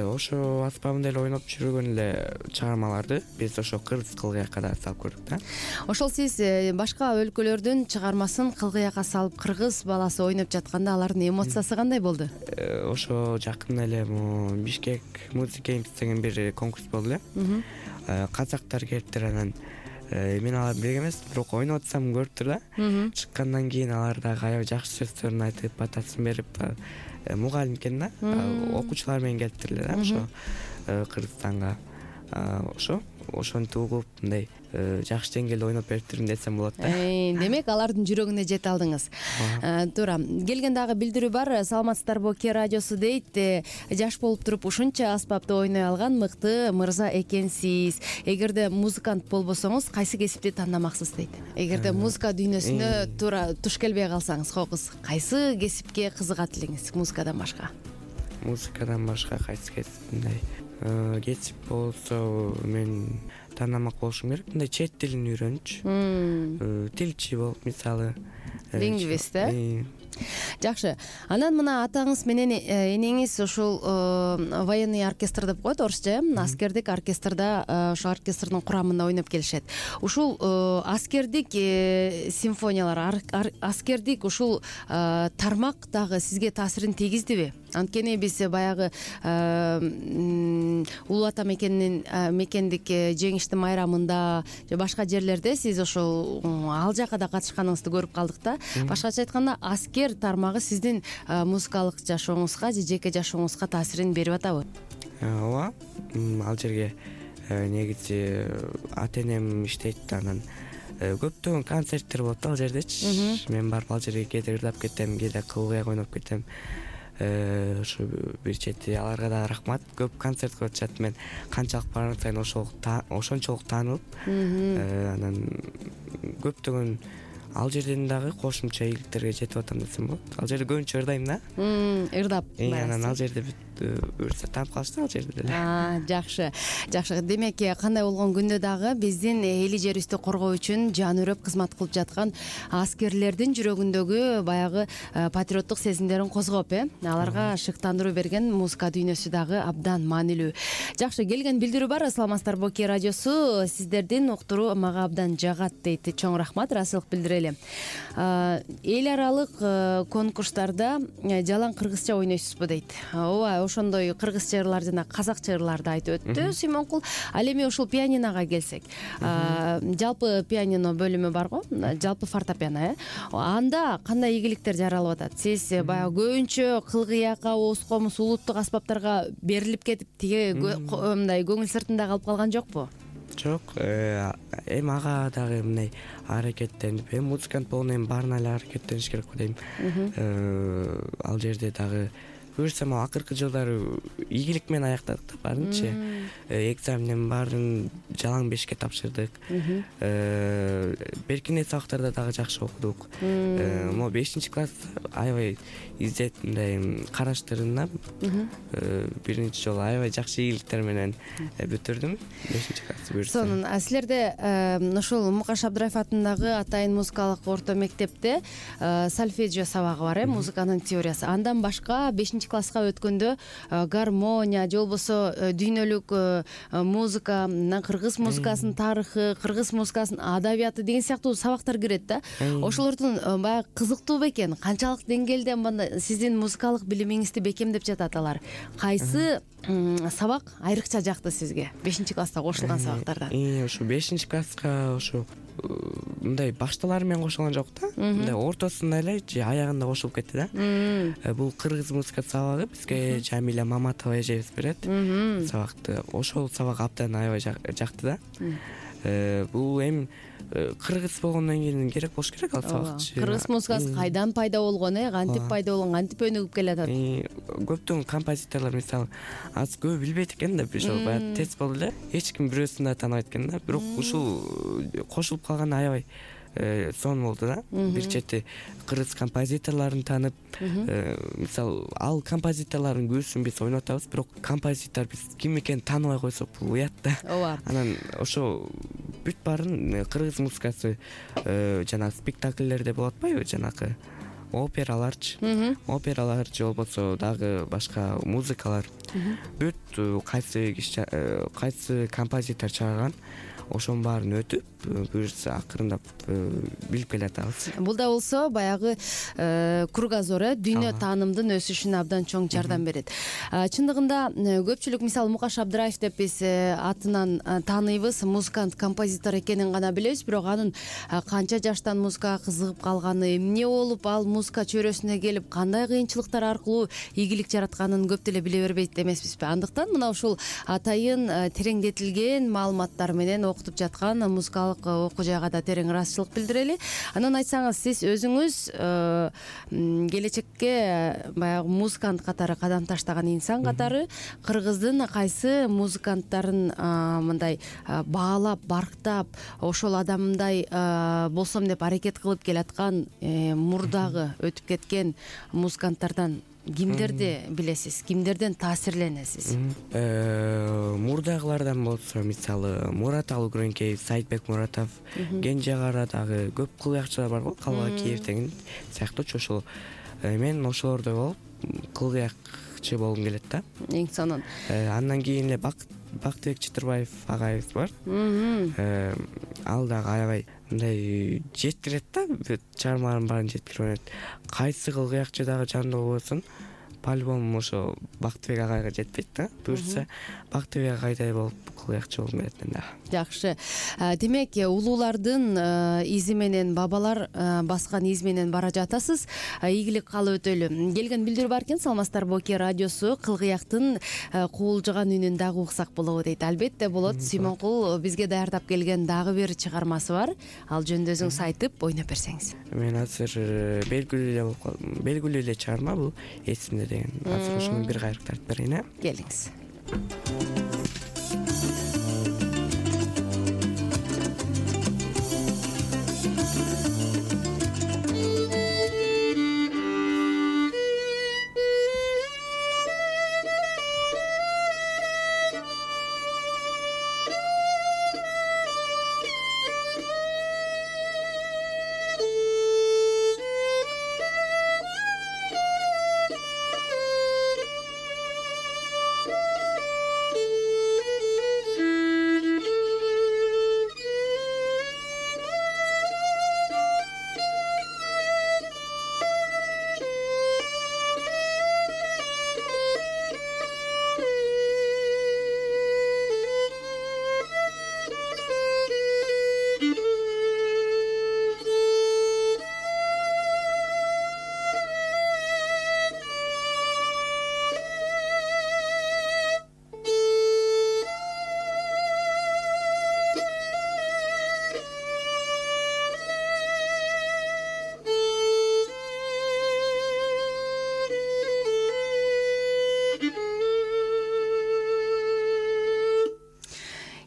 Ошо аспабын деле ойноп жүргөн эле чыгармаларды биз ошо кыргыз кылгыякка да салып көрдүк да. Ошол сиз башка өлкөлөрдүн чыгармасын кылгыякка салып кыргыз баласы ойноп жатканда алардын эмоциясы кандай болду? Ошо жакында эле Бишкек Music Games деген бир конкурс болду эле. Казактар келиптир, анан мен аларды билген эмес, бирок ойноп атсам көрүптүр да. Чыккандан кийин алар дагы аябай жакшы сөздөрүн айтып, батасын берип, мугалим экен да, окуучулар менен келиптир эле да ошо Кыргызстанга. Ошентип угуп, мындай жакшы деңгээлде ойноп бериптирмин десем болот да. Демек, алардын жүрөгүнө жете алдыңыз. Туура. Келген дагы билдирүү бар. Саламатсыздарбы, Ке радиосу дейт. Жаш болуп туруп ушунча аспапты ойной алган мыкты мырза экенсиз. Эгерде музыкант болбосоңуз, кайсы кесипти тандамаксыз дейт. Эгерде музыка дүйнөсүнө туура туш келбей калсаңыз, кокуз, кайсы кесипке кызыгат элеңиз музыкадан башка? Музыкадан башка кайсы кесип мындай кесип болсо мен тандамак болушум керек. Мындай чет тилин үйрөнчү, тилчи болуп, мисалы, лингвист, Жакшы. Анан мына атаңыз менен энеңиз ушул военный оркестр деп коет орусча, аскердик оркестрда, ошо оркестрдин курамында ойноп келишет. Ушул аскердик симфониялар, аскердик ушул тармак дагы сизге таасирин тийгиздиби? Анткени биз баягы Улуу Ата мекендик жеңиштин майрамында же башка жерлерде сиз ошол ал жака да катышканыңызды көрүп калдык да. Башкача айтканда, аскер тармагы сиздин музыкалык жашооңузга же жеке жашооңузга таасирин берип атабы? Ооба, ал жерге негизи ата-энем иштейт, анан көптөгөн концерттер болот ал жердечи. Мен барып ал жерге кээде ырдап кетем, кээде кылгыяк ойноп кетем. Ошо бир чети аларга да рахмат. Көп концерт кылып атышат. Мен канчалык барган сайын ошончолук таанылып, анан көптөгөн ал жерден дагы кошумча ийгиликтерге жетип атам десем болот. Ал жерде көбүнчө ырдайм да. Ырдап. Анан ал жерде өрсө таап калыштыр ал жерде деле. Жакшы. Демек, кандай болгон күндө дагы биздин эли жерибизди коргоо үчүн жан өрөп кызмат кылып жаткан аскерлердин жүрөгүндөгү баягы патриоттук сезимдерин козгоп, аларга шыктандыруу берген музыка дүйнөсү дагы абдан маанилүү. Жакшы, келген билдирүү бар. Саламатсыздарбы, Ке радиосу сиздердин уктуруу мага абдан жагат дейт. Чоң рахмат, ыраазычылык билдирели. Эл аралык конкурстарда жалаң кыргызча ойнойсузбу дейт. Ооба, ошондой кыргызча ырлар жана казакча ырларды айтып өттү Сүймөнкул. Ал эми ушул пианиного келсек, жалпы пианино бөлүмү барго, жалпы фортепиано, анда кандай ийгиликтер жаралып атат? Сиз баягы көбүнчө кылгыякка, ооз комуз, улуттук аспаптарга берилип кетип, тиги мындай көңүл сыртында калып калган жокпу? Жок, эми ага дагы мындай аракеттенип, музыкант болгондон кийин баарына эле аракеттениш керек го дейм. Ал жерде дагы буюрса могу акыркы жылдары ийгилик менен аяктадык да баарынчы. Экзаменин баарын жалаң бешке тапшырдык. Беркине сабактарда дагы жакшы окудук. Могу 5-класс аябай издеп мындай караштырына биринчи жолу аябай жакшы ийгиликтер менен бүтүрдүм 5-классты буюрса. Сонун силерде ошол Мукаш Абдыраев атындагы Атайын музыкалык орто мектепте сольфеджио сабагы бар, музыканын теориясы. Андан башка 5-класска өткөндө гармония же болбосо дүйнөлүк музыка, кыргыз музыкасынын тарыхы, кыргыз музыкасынын адабияты деген сыяктуу сабактар кирет да. Ошолордун баягы кызыктуу бекен, канчалык деңгээлде сиздин музыкалык билимиңизди бекемдеп жатат алар? Кайсы сабак айрыкча жакты сизге 5-класста кошулган сабактардан? Ошо 5-класска ошо мындай башталары менен кошулган жок да. Мындай ортосунда эле же аягында кошулуп кетти да. Бул кыргыз музыка сабагы бизге Жамиля Маматова эжебиз берет сабакты. Ошол сабак абдан аябай жакты да. Бул эми кыргыз болгондон кийин керек болуш керек ал сабакчы. Кыргыз музыкасы кайдан пайда болгон, кантип пайда болгон, кантип өнүгүп келатат? Көптөгөн композиторлор мисалы азыр көбү билбейт экен да, ошол баягы тест болду эле. Эч ким бирөөсүн да тааныбайт экен да. Бирок ушул кошулуп калган аябай сонун болду да. Бир чети кыргыз композиторлорун таанып, мисалы ал композиторлордун көбүсүн биз ойноп атабыз, бирок композитор биз ким экенин тааныбай койсок бул уят да. Ооба. Анан ошо бүт баарын кыргыз музыкасы жанагы спектакльлерде болот атпайбы, жанагы операларчы, опералар же болбосо дагы башка музыкалар. Бүт кайсы композитор чыгарган ошонун баарын өтүп, буюрса акырындап билип келатабыз. Бул да болсо баягы кругозор, дүйнө таанымдын өсүшүнө абдан чоң жардам берет. Чындыгында көпчүлүк мисалы Мукаш Абдыраев деп биз атынан тааныйбыз, музыкант, композитор экенин гана билебиз, бирок анын канча жаштан музыкага кызыгып калганы, эмне болуп ал музыка чөйрөсүнө келип, кандай кыйынчылыктар аркылуу ийгилик жаратканын көп деле биле бербейт эмеспизби? Андыктан мына ушул атайын тереңдетилген маалыматтар менен окутуп жаткан музыкалык окуу жайга да терең ыраазычылык билдирели. Анан айтсаңыз, сиз өзүңүз келечекке баягы музыкант катары кадам таштаган инсан катары кыргыздын кайсы музыканттарын мындай баалап, барктап, ошол адамдай болсом деп аракет кылып келаткан, мурдагы өтүп кеткен музыканттардан кимдерди билесиз, кимдерден таасирленесиз? Мурдагылардан болсо мисалы Мурат Алгүрөнкеев, Сайтбек Муратов, Кенже Кара дагы көп кылыякчылар бар го, Калбакиев деген сыяктуучу. Ошол мен ошолордой болуп кылыякчы болгум келет да. Эң сонун. Андан кийин эле Бактыбек Чытырбаев агайыбыз бар. Ал дагы аябай мындай жеткирет да, чыгармаларын баарын жеткирип ойнойт. Кайсы кылыякчы дагы жандуу болсун, по-любому ошо Бактыбек агайга жетпейт да. Буюрса Бактыбек агайдай болуп кылыякчы болгум келет мен дагы. Жакшы. Демек, улуулардын изи менен, бабалар баскан из менен бара жатасыз. Ийгилик каалап өтөлү. Келген билдирүү бар экен, саламатсыздарбы Оке радиосу кылгыяктын куулжуган үнүн дагы уксак болобу дейт. Албетте болот. Симонкул бизге даярдап келген дагы бир чыгармасы бар. Ал жөнүндө өзүңүз айтып, ойноп берсеңиз. Мен азыр белгилүү эле чыгарма бул, эсимде деген. Азыр ошону бир кайрык тартып берейин. Келиңиз.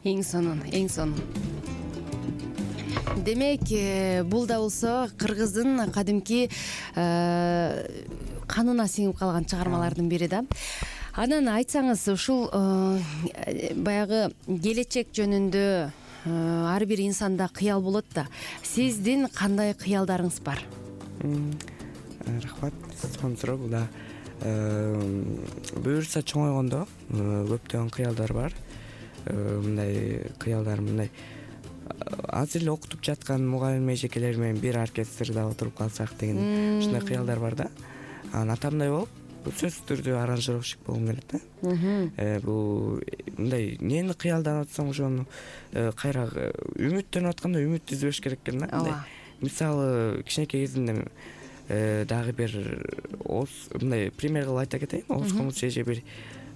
Эң сонун, эң сонун. Демек, бул да болсо кыргыздын кадимки канына сиңип калган чыгармалардын бири да. Анан айтсаңыз, ушул баягы келечек жөнүндө ар бир инсанда кыял болот да. Сиздин кандай кыялдарыңыз бар? Рахмат, сонун суроо. Бул да буюрса чоңойгондо көптөгөн кыялдар бар. Мындай кыялдар мындай азыр эле окутуп жаткан мугалим эжекелер менен бир оркестрде отуруп калсак деген ушундай кыялдар бар да. Анан атамдай болуп сөзсүз түрдө аранжировщик болгум келет да. Бул мындай эмнени кыялданып атсам ошону кайра үмүттөнүп атканда үмүт үзбөш керек экен да. Мисалы кичинекей кезимде дагы бир мындай пример кылып айта кетейин. Оз комуз эже бир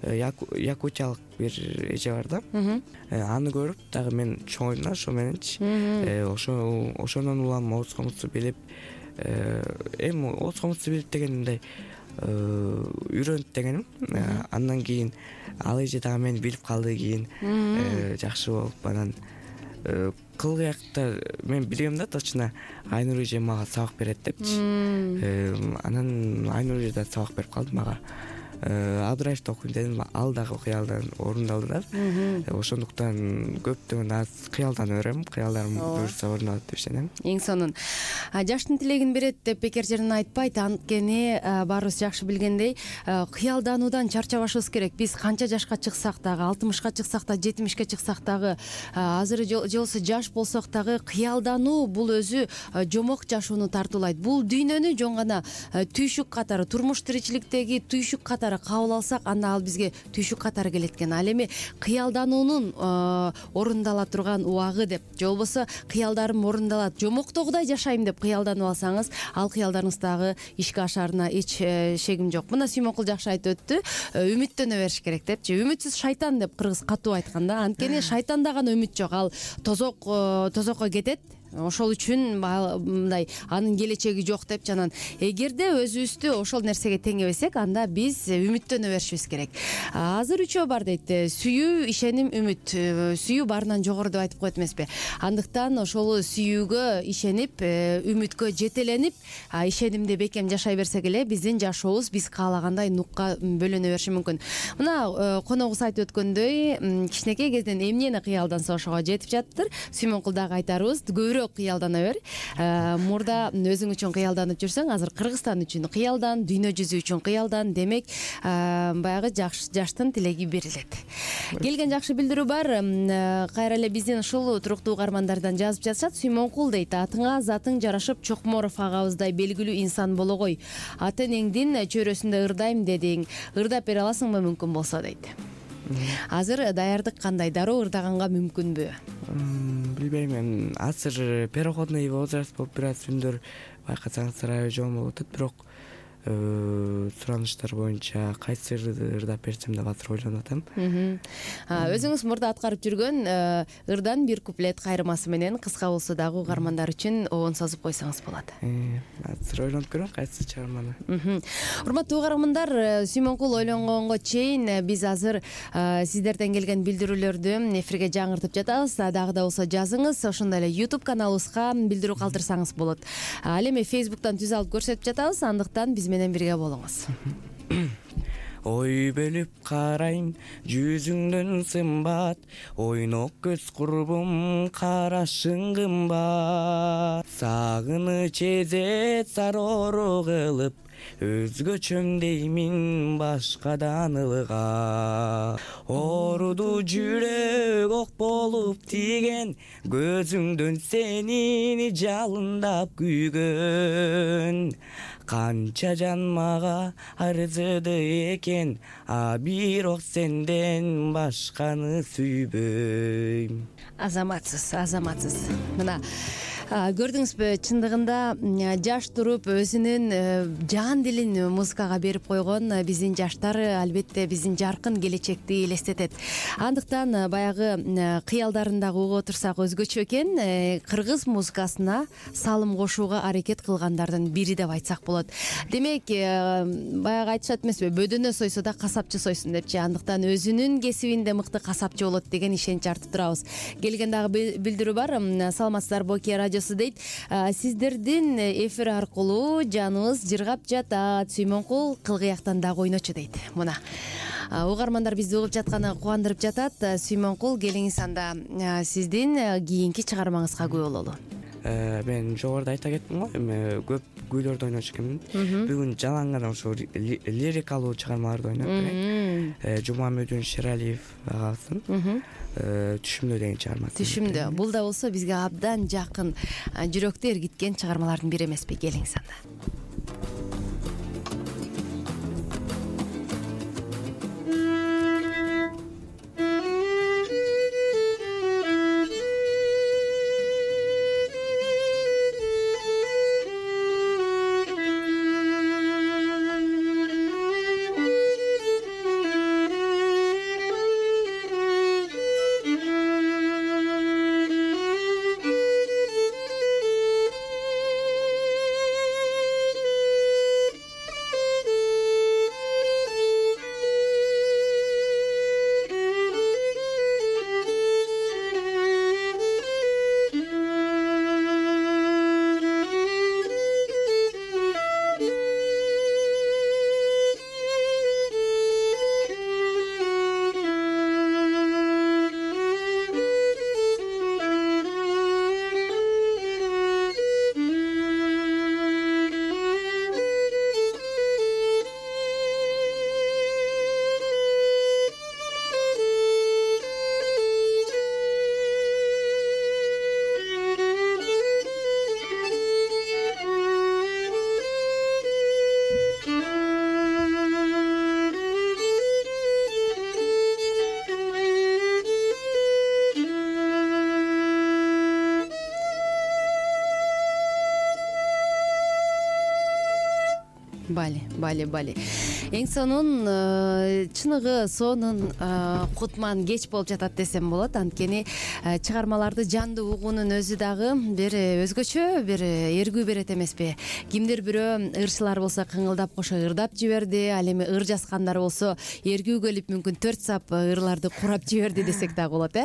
якутиялык бир эже бар да. Аны көрүп дагы мен чоңойдум да ошо мененчи. Ошонун улам оз комузду билип, эми оз комузду билип деген мындай үйрөнүп дегеним. Андан кийин ал эже дагы мени билип калды, кийин жакшы болуп анан кылгыякта мен билгем да, точно Айнур эже мага сабак берет депчи. Анан Айнур эже да сабак берип калды мага. Абдыраевди окуйм дедим, ал дагы кыялдан орундалды да. Ошондуктан көптөгөн аз кыялданып берем, кыялдарым буюрса орун алат деп ишенем. Эң сонун. Жаштын тилегин берет деп бекер жерден айтпайт. Анткени баарыбыз жакшы билгендей, кыялдануудан чарчабашыбыз керек. Биз канча жашка чыксак дагы, 60ка чыксак да, 70ке чыксак дагы, азыр же болбосо жаш болсок дагы кыялдануу бул өзү жомок жашоону тартуулайт. Бул дүйнөнү жөн гана түйшүк катары, турмуш тиричиликтеги түйшүк катары кабыл алсак, анда ал бизге түйшүк катары келет экен. Ал эми кыялдануунун орундала турган убагы деп, же болбосо кыялдарым орундалат, жомоктогудай жашайм деп кыялданып алсаңыз, ал кыялдарыңыз дагы ишке ашаарына эч шегим жок. Мына Сүймөнкул жакшы айтып өттү, үмүттөнө бериш керек депчи. Үмүтсүз шайтан деп кыргыз катуу айткан да. Анткени шайтанда гана үмүт жок, ал тозокко кетет. Ошол үчүн мындай анын келечеги жок деп жанан. Эгерде өзүбүздү ошол нерсеге теңебесек, анда биз үмүттөнө беришибиз керек. Азыр үчөө бар дейт. Сүйүү, ишеним, үмүт. Сүйүү баарынан жогору деп айтып коет эмеспи? Андыктан ошол сүйүүгө ишенип, үмүткө жетеленип, ишенимде бекем жашай берсек эле биздин жашообуз биз каалагандай нукка бөлөнө бериши мүмкүн. Мына коногубуз айтып өткөндөй, кичинекей кезден эмнени кыялданса ошого жетип жатыптыр. Сүймөнкул дагы айтарыбыз, кыялдана бер. Мурда өзүң үчүн кыялданып жүрсөң, азыр Кыргызстан үчүн кыялдан, дүйнө жүзү үчүн кыялдан. Демек, баягы жаштын тилеги берилет. Келген жакшы билдирүү бар. Кайра эле биздин ушул туруктуу угармандардан жазып жатышат. Сүймөнкул дейт: атыңа затың жарашып, Чокморов агабыздай белгилүү инсан боло кой. Ата энеңдин чөйрөсүндө ырдайм дедиң. Ырдап бере аласыңбы мүмкүн болсо дейт. Азыр даярдык кандай? Дароо ырдаганга мүмкүнбү? Билбейм, эми азыр переходный возраст болуп бир аз күндөр байкасаңыздар аябай жон болуп атат, бирок сураныштар боюнча кайсы ырдап берсем деп азыр ойлонуп атам. Өзүңүз мурда аткарып жүргөн ырдан бир куплет кайрымасы менен кыска болсо дагы угармандар үчүн обон созуп койсоңуз болот. Азыр ойлонуп көрөм кайсы чыгарманы. Урматтуу угармандар, Сүймөнкул ойлонгонго чейин биз азыр сиздерден келген билдирүүлөрдү эфирге жаңыртып жатабыз. Дагы да болсо жазыңыз, ошондой эле YouTube каналыбызга билдирүү калтырсаңыз болот. Ал эми Facebook'тан түз алып көрсөтүп жатабыз, андыктан биз менен бирге болуңуз. Ой бөлүп карайм жүзүңдөн сымбат, ойнок көз курбум карашың кымбат. Сагыныч эзет сароо кылып, өзгөчөм деймин башкадан ылгап. Оруду жүрөк ок болуп тиген, көзүңдөн сенин жалындап күйгөн. Канча жан мага арзыды экен, бирок сенден башканы сүйбөйм. Азаматсыз. Мына Көрдүңүзбү, чындыгында жаш туруп өзүнүн жан дилин музыкага берип койгон биздин жаштар албетте биздин жаркын келечекти элестетет. Андыктан баягы кыялдарын дагы угуп отурсак өзгөчө экен. Кыргыз музыкасына салым кошууга аракет кылгандардын бири деп айтсак болот. Демек, баягы айтышат эмеспи, бөдөнө сойсо да касапчы сойсун депчи. Андыктан өзүнүн кесибинде мыкты касапчы болот деген ишенич артып турабыз. Келген дагы билдирүү бар. Саламатсыздарбы, Окей радиосу дейт. Сиздердин эфир аркылуу жаныбыз жыргап жатат. Сүймөнкул кылгыяктан дагы ойночу дейт. Мына угармандар бизди угуп жатканы кубандырып жатат. Сүймөнкул, келиңиз анда сиздин кийинки чыгармаңызга күбө бололу. Мен жогоруда айта кеттим го, эми көп күүлөрдү ойночу экенмин. Бүгүн жалаң гана ошо лирикалуу чыгармаларды ойноп берейин. Жумамөдүн Шералиев агабыздын Түшүмдө деген чыгармасы. Түшүмдө. Бул да болсо бизге абдан жакын, жүрөктү эргиткен чыгармалардын бири эмеспи? Келиңиз анда. Бали. Эң сонун чыныгы сонун кутман кеч болуп жатат десем болот. Анткени чыгармаларды жандуу угуунун өзү дагы бир өзгөчө бир эргүү берет эмеспи? Кимдир бирөө ырчылар болсо кыңылдап кошо ырдап жиберди, ал эми ыр жазгандар болсо эргүү келип мүмкүн 4 сап ырларды курап жиберди десек дагы болот,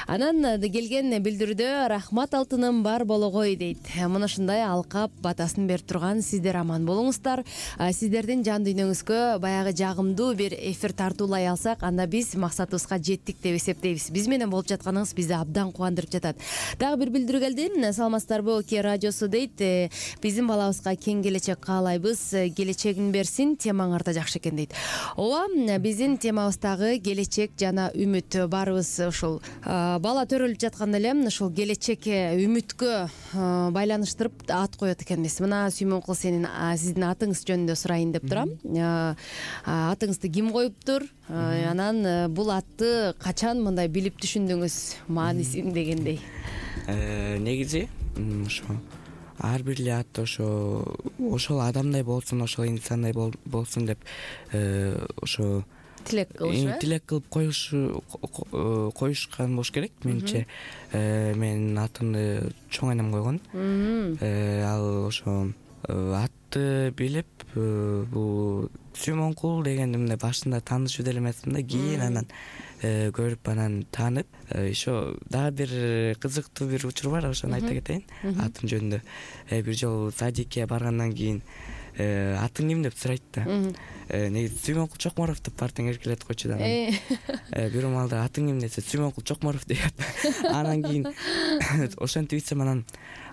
Анан келген билдирүүдө рахмат алтыным бар болгой дейт. Мына ушундай алкап батасын берип турган сиздер аман болуңуздар. Сиздердин жан дүйнөңүзгө баягы жагымдуу бир эфир тартуулай алсак, анда биз максатыбызга жеттик деп эсептейбиз. Биз менен болуп жатканыңыз бизди абдан кубандырып жатат. Дагы бир билдирүү келди. Саламатсыздарбы, Окей радиосу дейт. Биздин балабызга кең келечек каалайбыз. Келечегин берсин, темаң арта жакшы экен дейт. Ооба, биздин темабыздагы келечек жана үмүт. Баарыбыз ушул бала төрөлүп жатканда эле ушул келечекке, үмүткө байланыштырып ат коет экенбиз. Мына Сүймөнкул, сиздин атыңыз жөнүндө сурайын деп турам. Атыңызды ким коюптур? Анан бул атты качан мындай билип түшүндүңүз, маанисин дегендей? Негизи ошо ар бир эле ат ошол адамдай болсун, ошол инсандай болсун деп ошо тилек кылып коюшкан болуш керек менимче. Мен атымды чоң энем койгон. Ал ошо атты билип, бул Сүймөнкул дегенди мындай башында таанышып деле эмесмин да, кийин анан көрүп анан таанып, ошо дагы бир кызыктуу бир учур бар, ошону айта кетейин атым жөнүндө. Бир жолу садикке баргандан кийин атың ким деп сурайт да. Негизи Сүймөнкул Чокморов деп бартаң эркелетип койчу да. Бир маалда атың ким десе Сүймөнкул Чокморов деп. Анан кийин ошентип ичсем, анан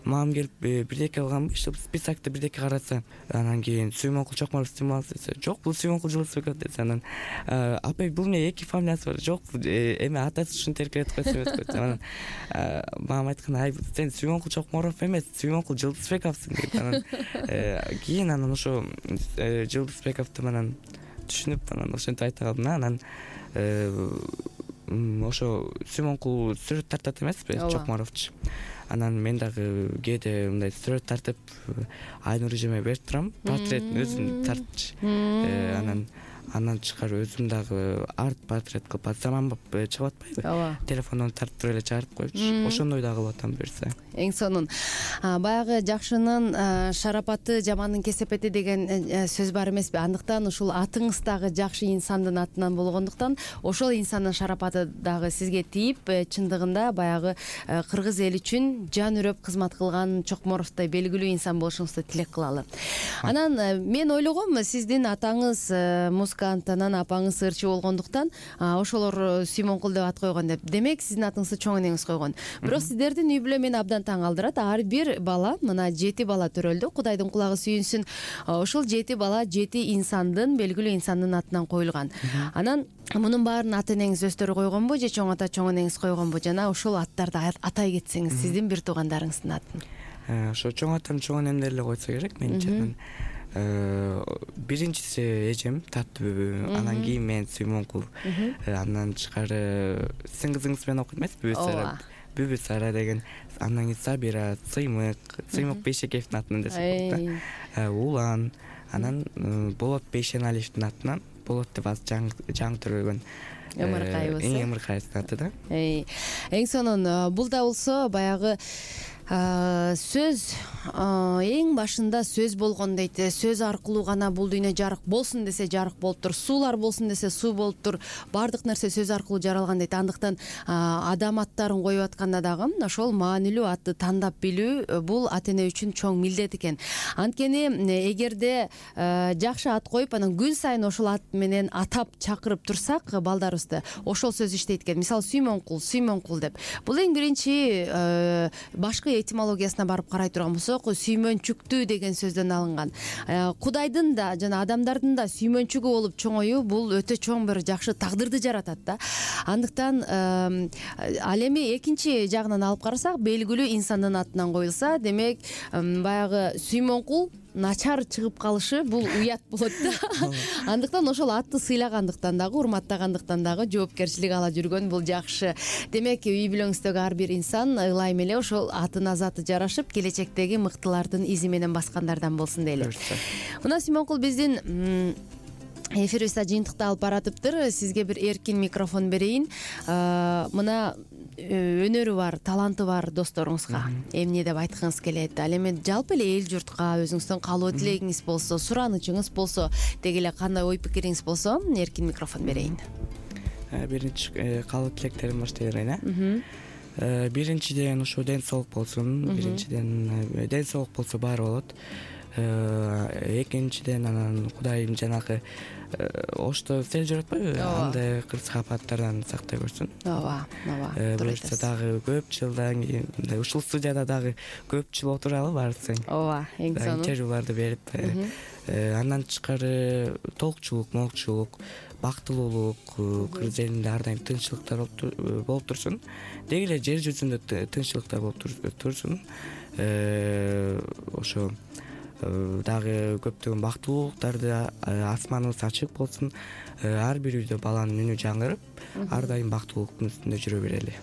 мамам келип бирдеке кылганбы, списокто бирдеке караса, анан кийин Сүймөнкул Чокморов десе, жок, бул Сүймөнкул Жылысбеков десе, анан апа бул эмне эки фамилиясы бар? Жок, эми атасы ушинтип эркелетип койсо эмес го. Анан мамам айткан, ай сен Сүймөнкул Чокморов эмес, Сүймөнкул Жылысбековсуң деп. Анан кийин анан ошо Жылысбековду анан түшүнүп, анан ошентип айта калдым. Анан ошо Сүймөнкул сүрөт тартат эмеспи, Чокморовчу. Анан мен дагы кээде мындай сүрөт тартып Айнур эжеме берип турам, портреттин өзүн тартчы. Андан тышкары өзүм дагы портрет кылып атсам чыгып атпайбы? Ооба. Телефондон тартып эле чыгарып коючу. Ошондой да кылып атам берсе. Эң сонун. Баягы жакшынын шарапаты, жамандын кесепети деген сөз бар эмеспи? Андыктан ушул атыңыз дагы жакшы инсандын атынан болгондуктан ошол инсандын шарапаты дагы сизге тийип, чындыгында баягы кыргыз эли үчүн жан үрөп кызмат кылган Чокморовдой белгилүү инсан болушуңузду тилек кылалы. Анан мен ойлогом, сиздин атаңыз музыкант, анан апаңыз ырчы болгондуктан ошолор Сүймөнкул деп ат койгон деп. Демек сиздин атыңызды чоң энеңиз койгон. Бирок сиздердин үй бүлө мени абдан таң калтырат. Ар бир бала, мына 7 бала төрөлдү. Кудайдын кулагы сүйүнсүн. Ошол 7 бала 7 инсандын, белгилүү инсандын атынан коюлган. Анан мунун баарын ата энеңиз өздөрү койгонбу же чоң ата, чоң энеңиз койгонбу? Жана ошол аттарды атай кетсеңиз, сиздин бир туугандарыңыздын атын. Ошо чоң атам, чоң энемдер эле койсо керек менимче. Биринчиси эжем Таттыбүбү, анан кийин мен Сүймөнкул. Андан тышкары сиздин кызыңыз менен окуйт эмеспи? Бүбү Сара деген, андан кийин Сабира, Сыймык Бейшекеевдин атынан десек болот. Улан, анан Болот Бейшеналиевдин атынан, Болот деп азыр жаңы төрөлгөн Эмиркаевдин аты да. Эң сонун. Бул да болсо баягы сөз эң башында сөз болгон дейт. Сөз аркылуу гана бул дүйнө жарык болсун десе жарык болуптур, суулар болсун десе суу болуптур. Бардык нерсе сөз аркылуу жаралган дейт. Андыктан адам аттарын коюп атканда дагы ошол маанилүү атты тандап билүү бул ата эне үчүн чоң милдет экен. Анткени эгерде жакшы ат коюп, анан күн сайын ошол ат менен атап чакырып турсак балдарыбызды, ошол сөз иштейт экен. Мисалы Сүймөнкул деп. Бул эң биринчи башкы этимологиясына барып карай турган болсок, сүймөнчүктүү деген сөздөн алынган. Кудайдын да жана адамдардын да сүймөнчүгү болуп чоңоюу бул өтө чоң бир жакшы тагдырды жаратат да. Андыктан ал эми экинчи жагынан алып карасак, белгилүү инсандын атынан коюлса, демек баягы Сүймөнкул начар чыгып калышы бул уят болот да. Андыктан ошол атты сыйлагандыктан дагы, урматтагандыктан дагы жоопкерчилик ала жүргөн бул жакшы. Демек үй бүлөңүздөгү ар бир инсан ылайым эле ошол атына заты жарашып, келечектеги мыктылардын изи менен баскандардан болсун дейли. Мына Сүймөнкул биздин эфирибизде жыйынтыкты алып баратыптыр. Сизге бир эркин микрофон берейин. Мына өнөрү бар, таланты бар досторуңузга эмне деп айткыңыз келет? Ал эми жалпы эле эл журтка өзүңүздүн каалоо тилегиңиз болсо, суранычыңыз болсо, деги эле кандай ой пикириңиз болсо, эркин микрофон берейин. Биринчи каалоо тилектерим баштай берейин. Биринчиден ушу ден соолук болсун. Биринчиден ден соолук болсо баары болот. Экинчиден анан Кудайым жанагы ошто сел жаратпайбы? Андай кырсык апаттардан сактай көрсүн. Ооба. Буюрса дагы көп жылдан кийин ушул студияда дагы көп жыл отуралы баарысың. Ооба, эң сонун. Интервьюларды берип, андан тышкары толукчулук, бактылуулук, кыргыз элинде ар дайым тынччылыктар болуп турсун. Деги эле жер жүзүндө тынччылыктар болуп турсун. Ошо дагы көптөгөн бактылуулуктарды, асманыбыз ачык болсун. Ар бир үйдө баланын үнү жаңырып, ар дайым бактылуулуктун үстүндө жүрө берели.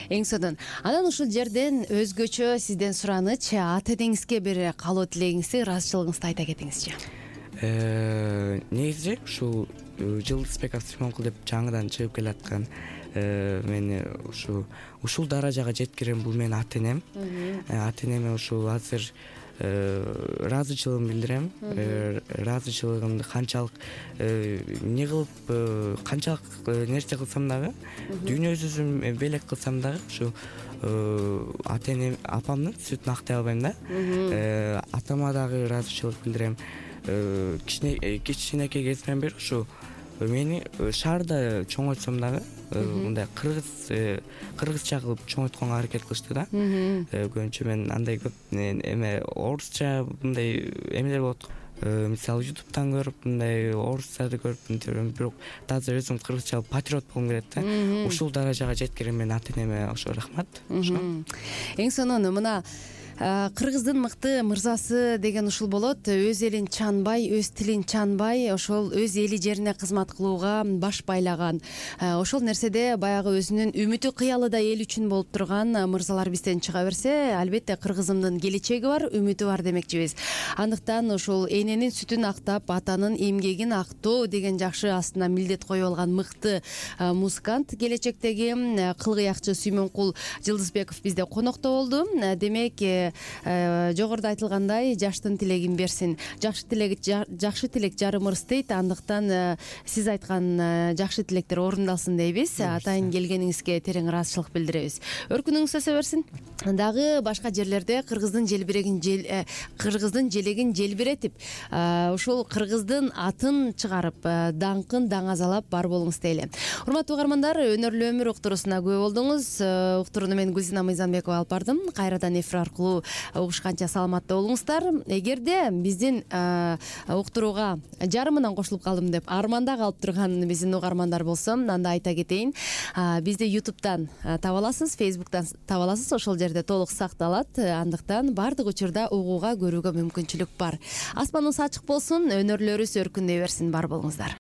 Эң сонун. Анан ушул жерден өзгөчө сизден сураныч, ата энеңизге бир каалоо тилегиңизди, ыраазычылыгыңызды айта кетиңизчи. Негизи ушул Жылдызбеков Сүймөнкул деп жаңыдан чыгып келаткан мени ушул даражага жеткирген бул менин ата энем. Ата энеме ушул азыр ыраазычылыгымды билдирем. Ыраазычылыгымды канчалык эмне кылып, канчалык нерсе кылсам дагы, дүйнө жүзүн белек кылсам дагы ушу ата энем, апамдын сүтүн актай албайм да. Атама дагы ыраазычылык билдирем. Кичинекей кезимден бери ушу мени шаарда чоңойтсом дагы мындай кыргызча кылып чоңойтконго аракет кылышты да. Көбүнчө мен андай көп эме орусча мындай эмелер болот. Мисалы ютубтан көрүп мындай орустарды көрүп мынтем, бирок таза өзүм кыргызча патриот болгум келет да. Ушул даражага жеткирген мен ата энеме ошо рахмат. Эң сонун. Мына Кыргыздын мыкты мырзасы деген ушул болот. Өз элин чанбай, өз тилин чанбай, ошол өз эли жерине кызмат кылууга баш байлаган. Ошол нерседе баягы өзүнүн үмүтү, кыялы да эл үчүн болуп турган мырзалар бизден чыга берсе, албетте кыргызымдын келечеги бар, үмүтү бар демекчибиз. Андыктан ушул эненин сүтүн актап, атанын эмгегин актоо деген жакшы астына милдет коюп алган мыкты музыкант, келечектеги кылгыякчы Сүймөнкул Жылдызбеков бизде конокто болду. Демек, жогоруда айтылгандай, жаштын тилегин берсин. Жакшы тилек жарым ырыс дейт. Андыктан сиз айткан жакшы тилектер орундалсын дейбиз. Атайын келгениңизге терең ыраазычылык билдиребиз. Өркүнүңүз өсө берсин. Дагы башка жерлерде кыргыздын желегин желбиретип, ушул кыргыздын атын чыгарып, даңкын даңазалап бар болуңуз дейли. Урматтуу угармандар, өнөрлүү өмүр уктуруусуна күбө болдуңуз. Уктурууну мен Гүлзина Мыйзамбекова алып бардым. Кайрадан эфир аркылуу угушканча саламатта болуңуздар. Эгерде биздин уктурууга жарымынан кошулуп калдым деп арманда калып турган биздин угармандар болсо, анда айта кетейин. Бизди YouTube'дан таба аласыз, Facebook'тан таба аласыз. Ошол жерде толук сакталат. Андыктан бардык учурда угууга, көрүүгө мүмкүнчүлүк бар. Аспаныбыз ачык болсун, өнөрлөрүбүз өркүндөй берсин. Бар болуңуздар.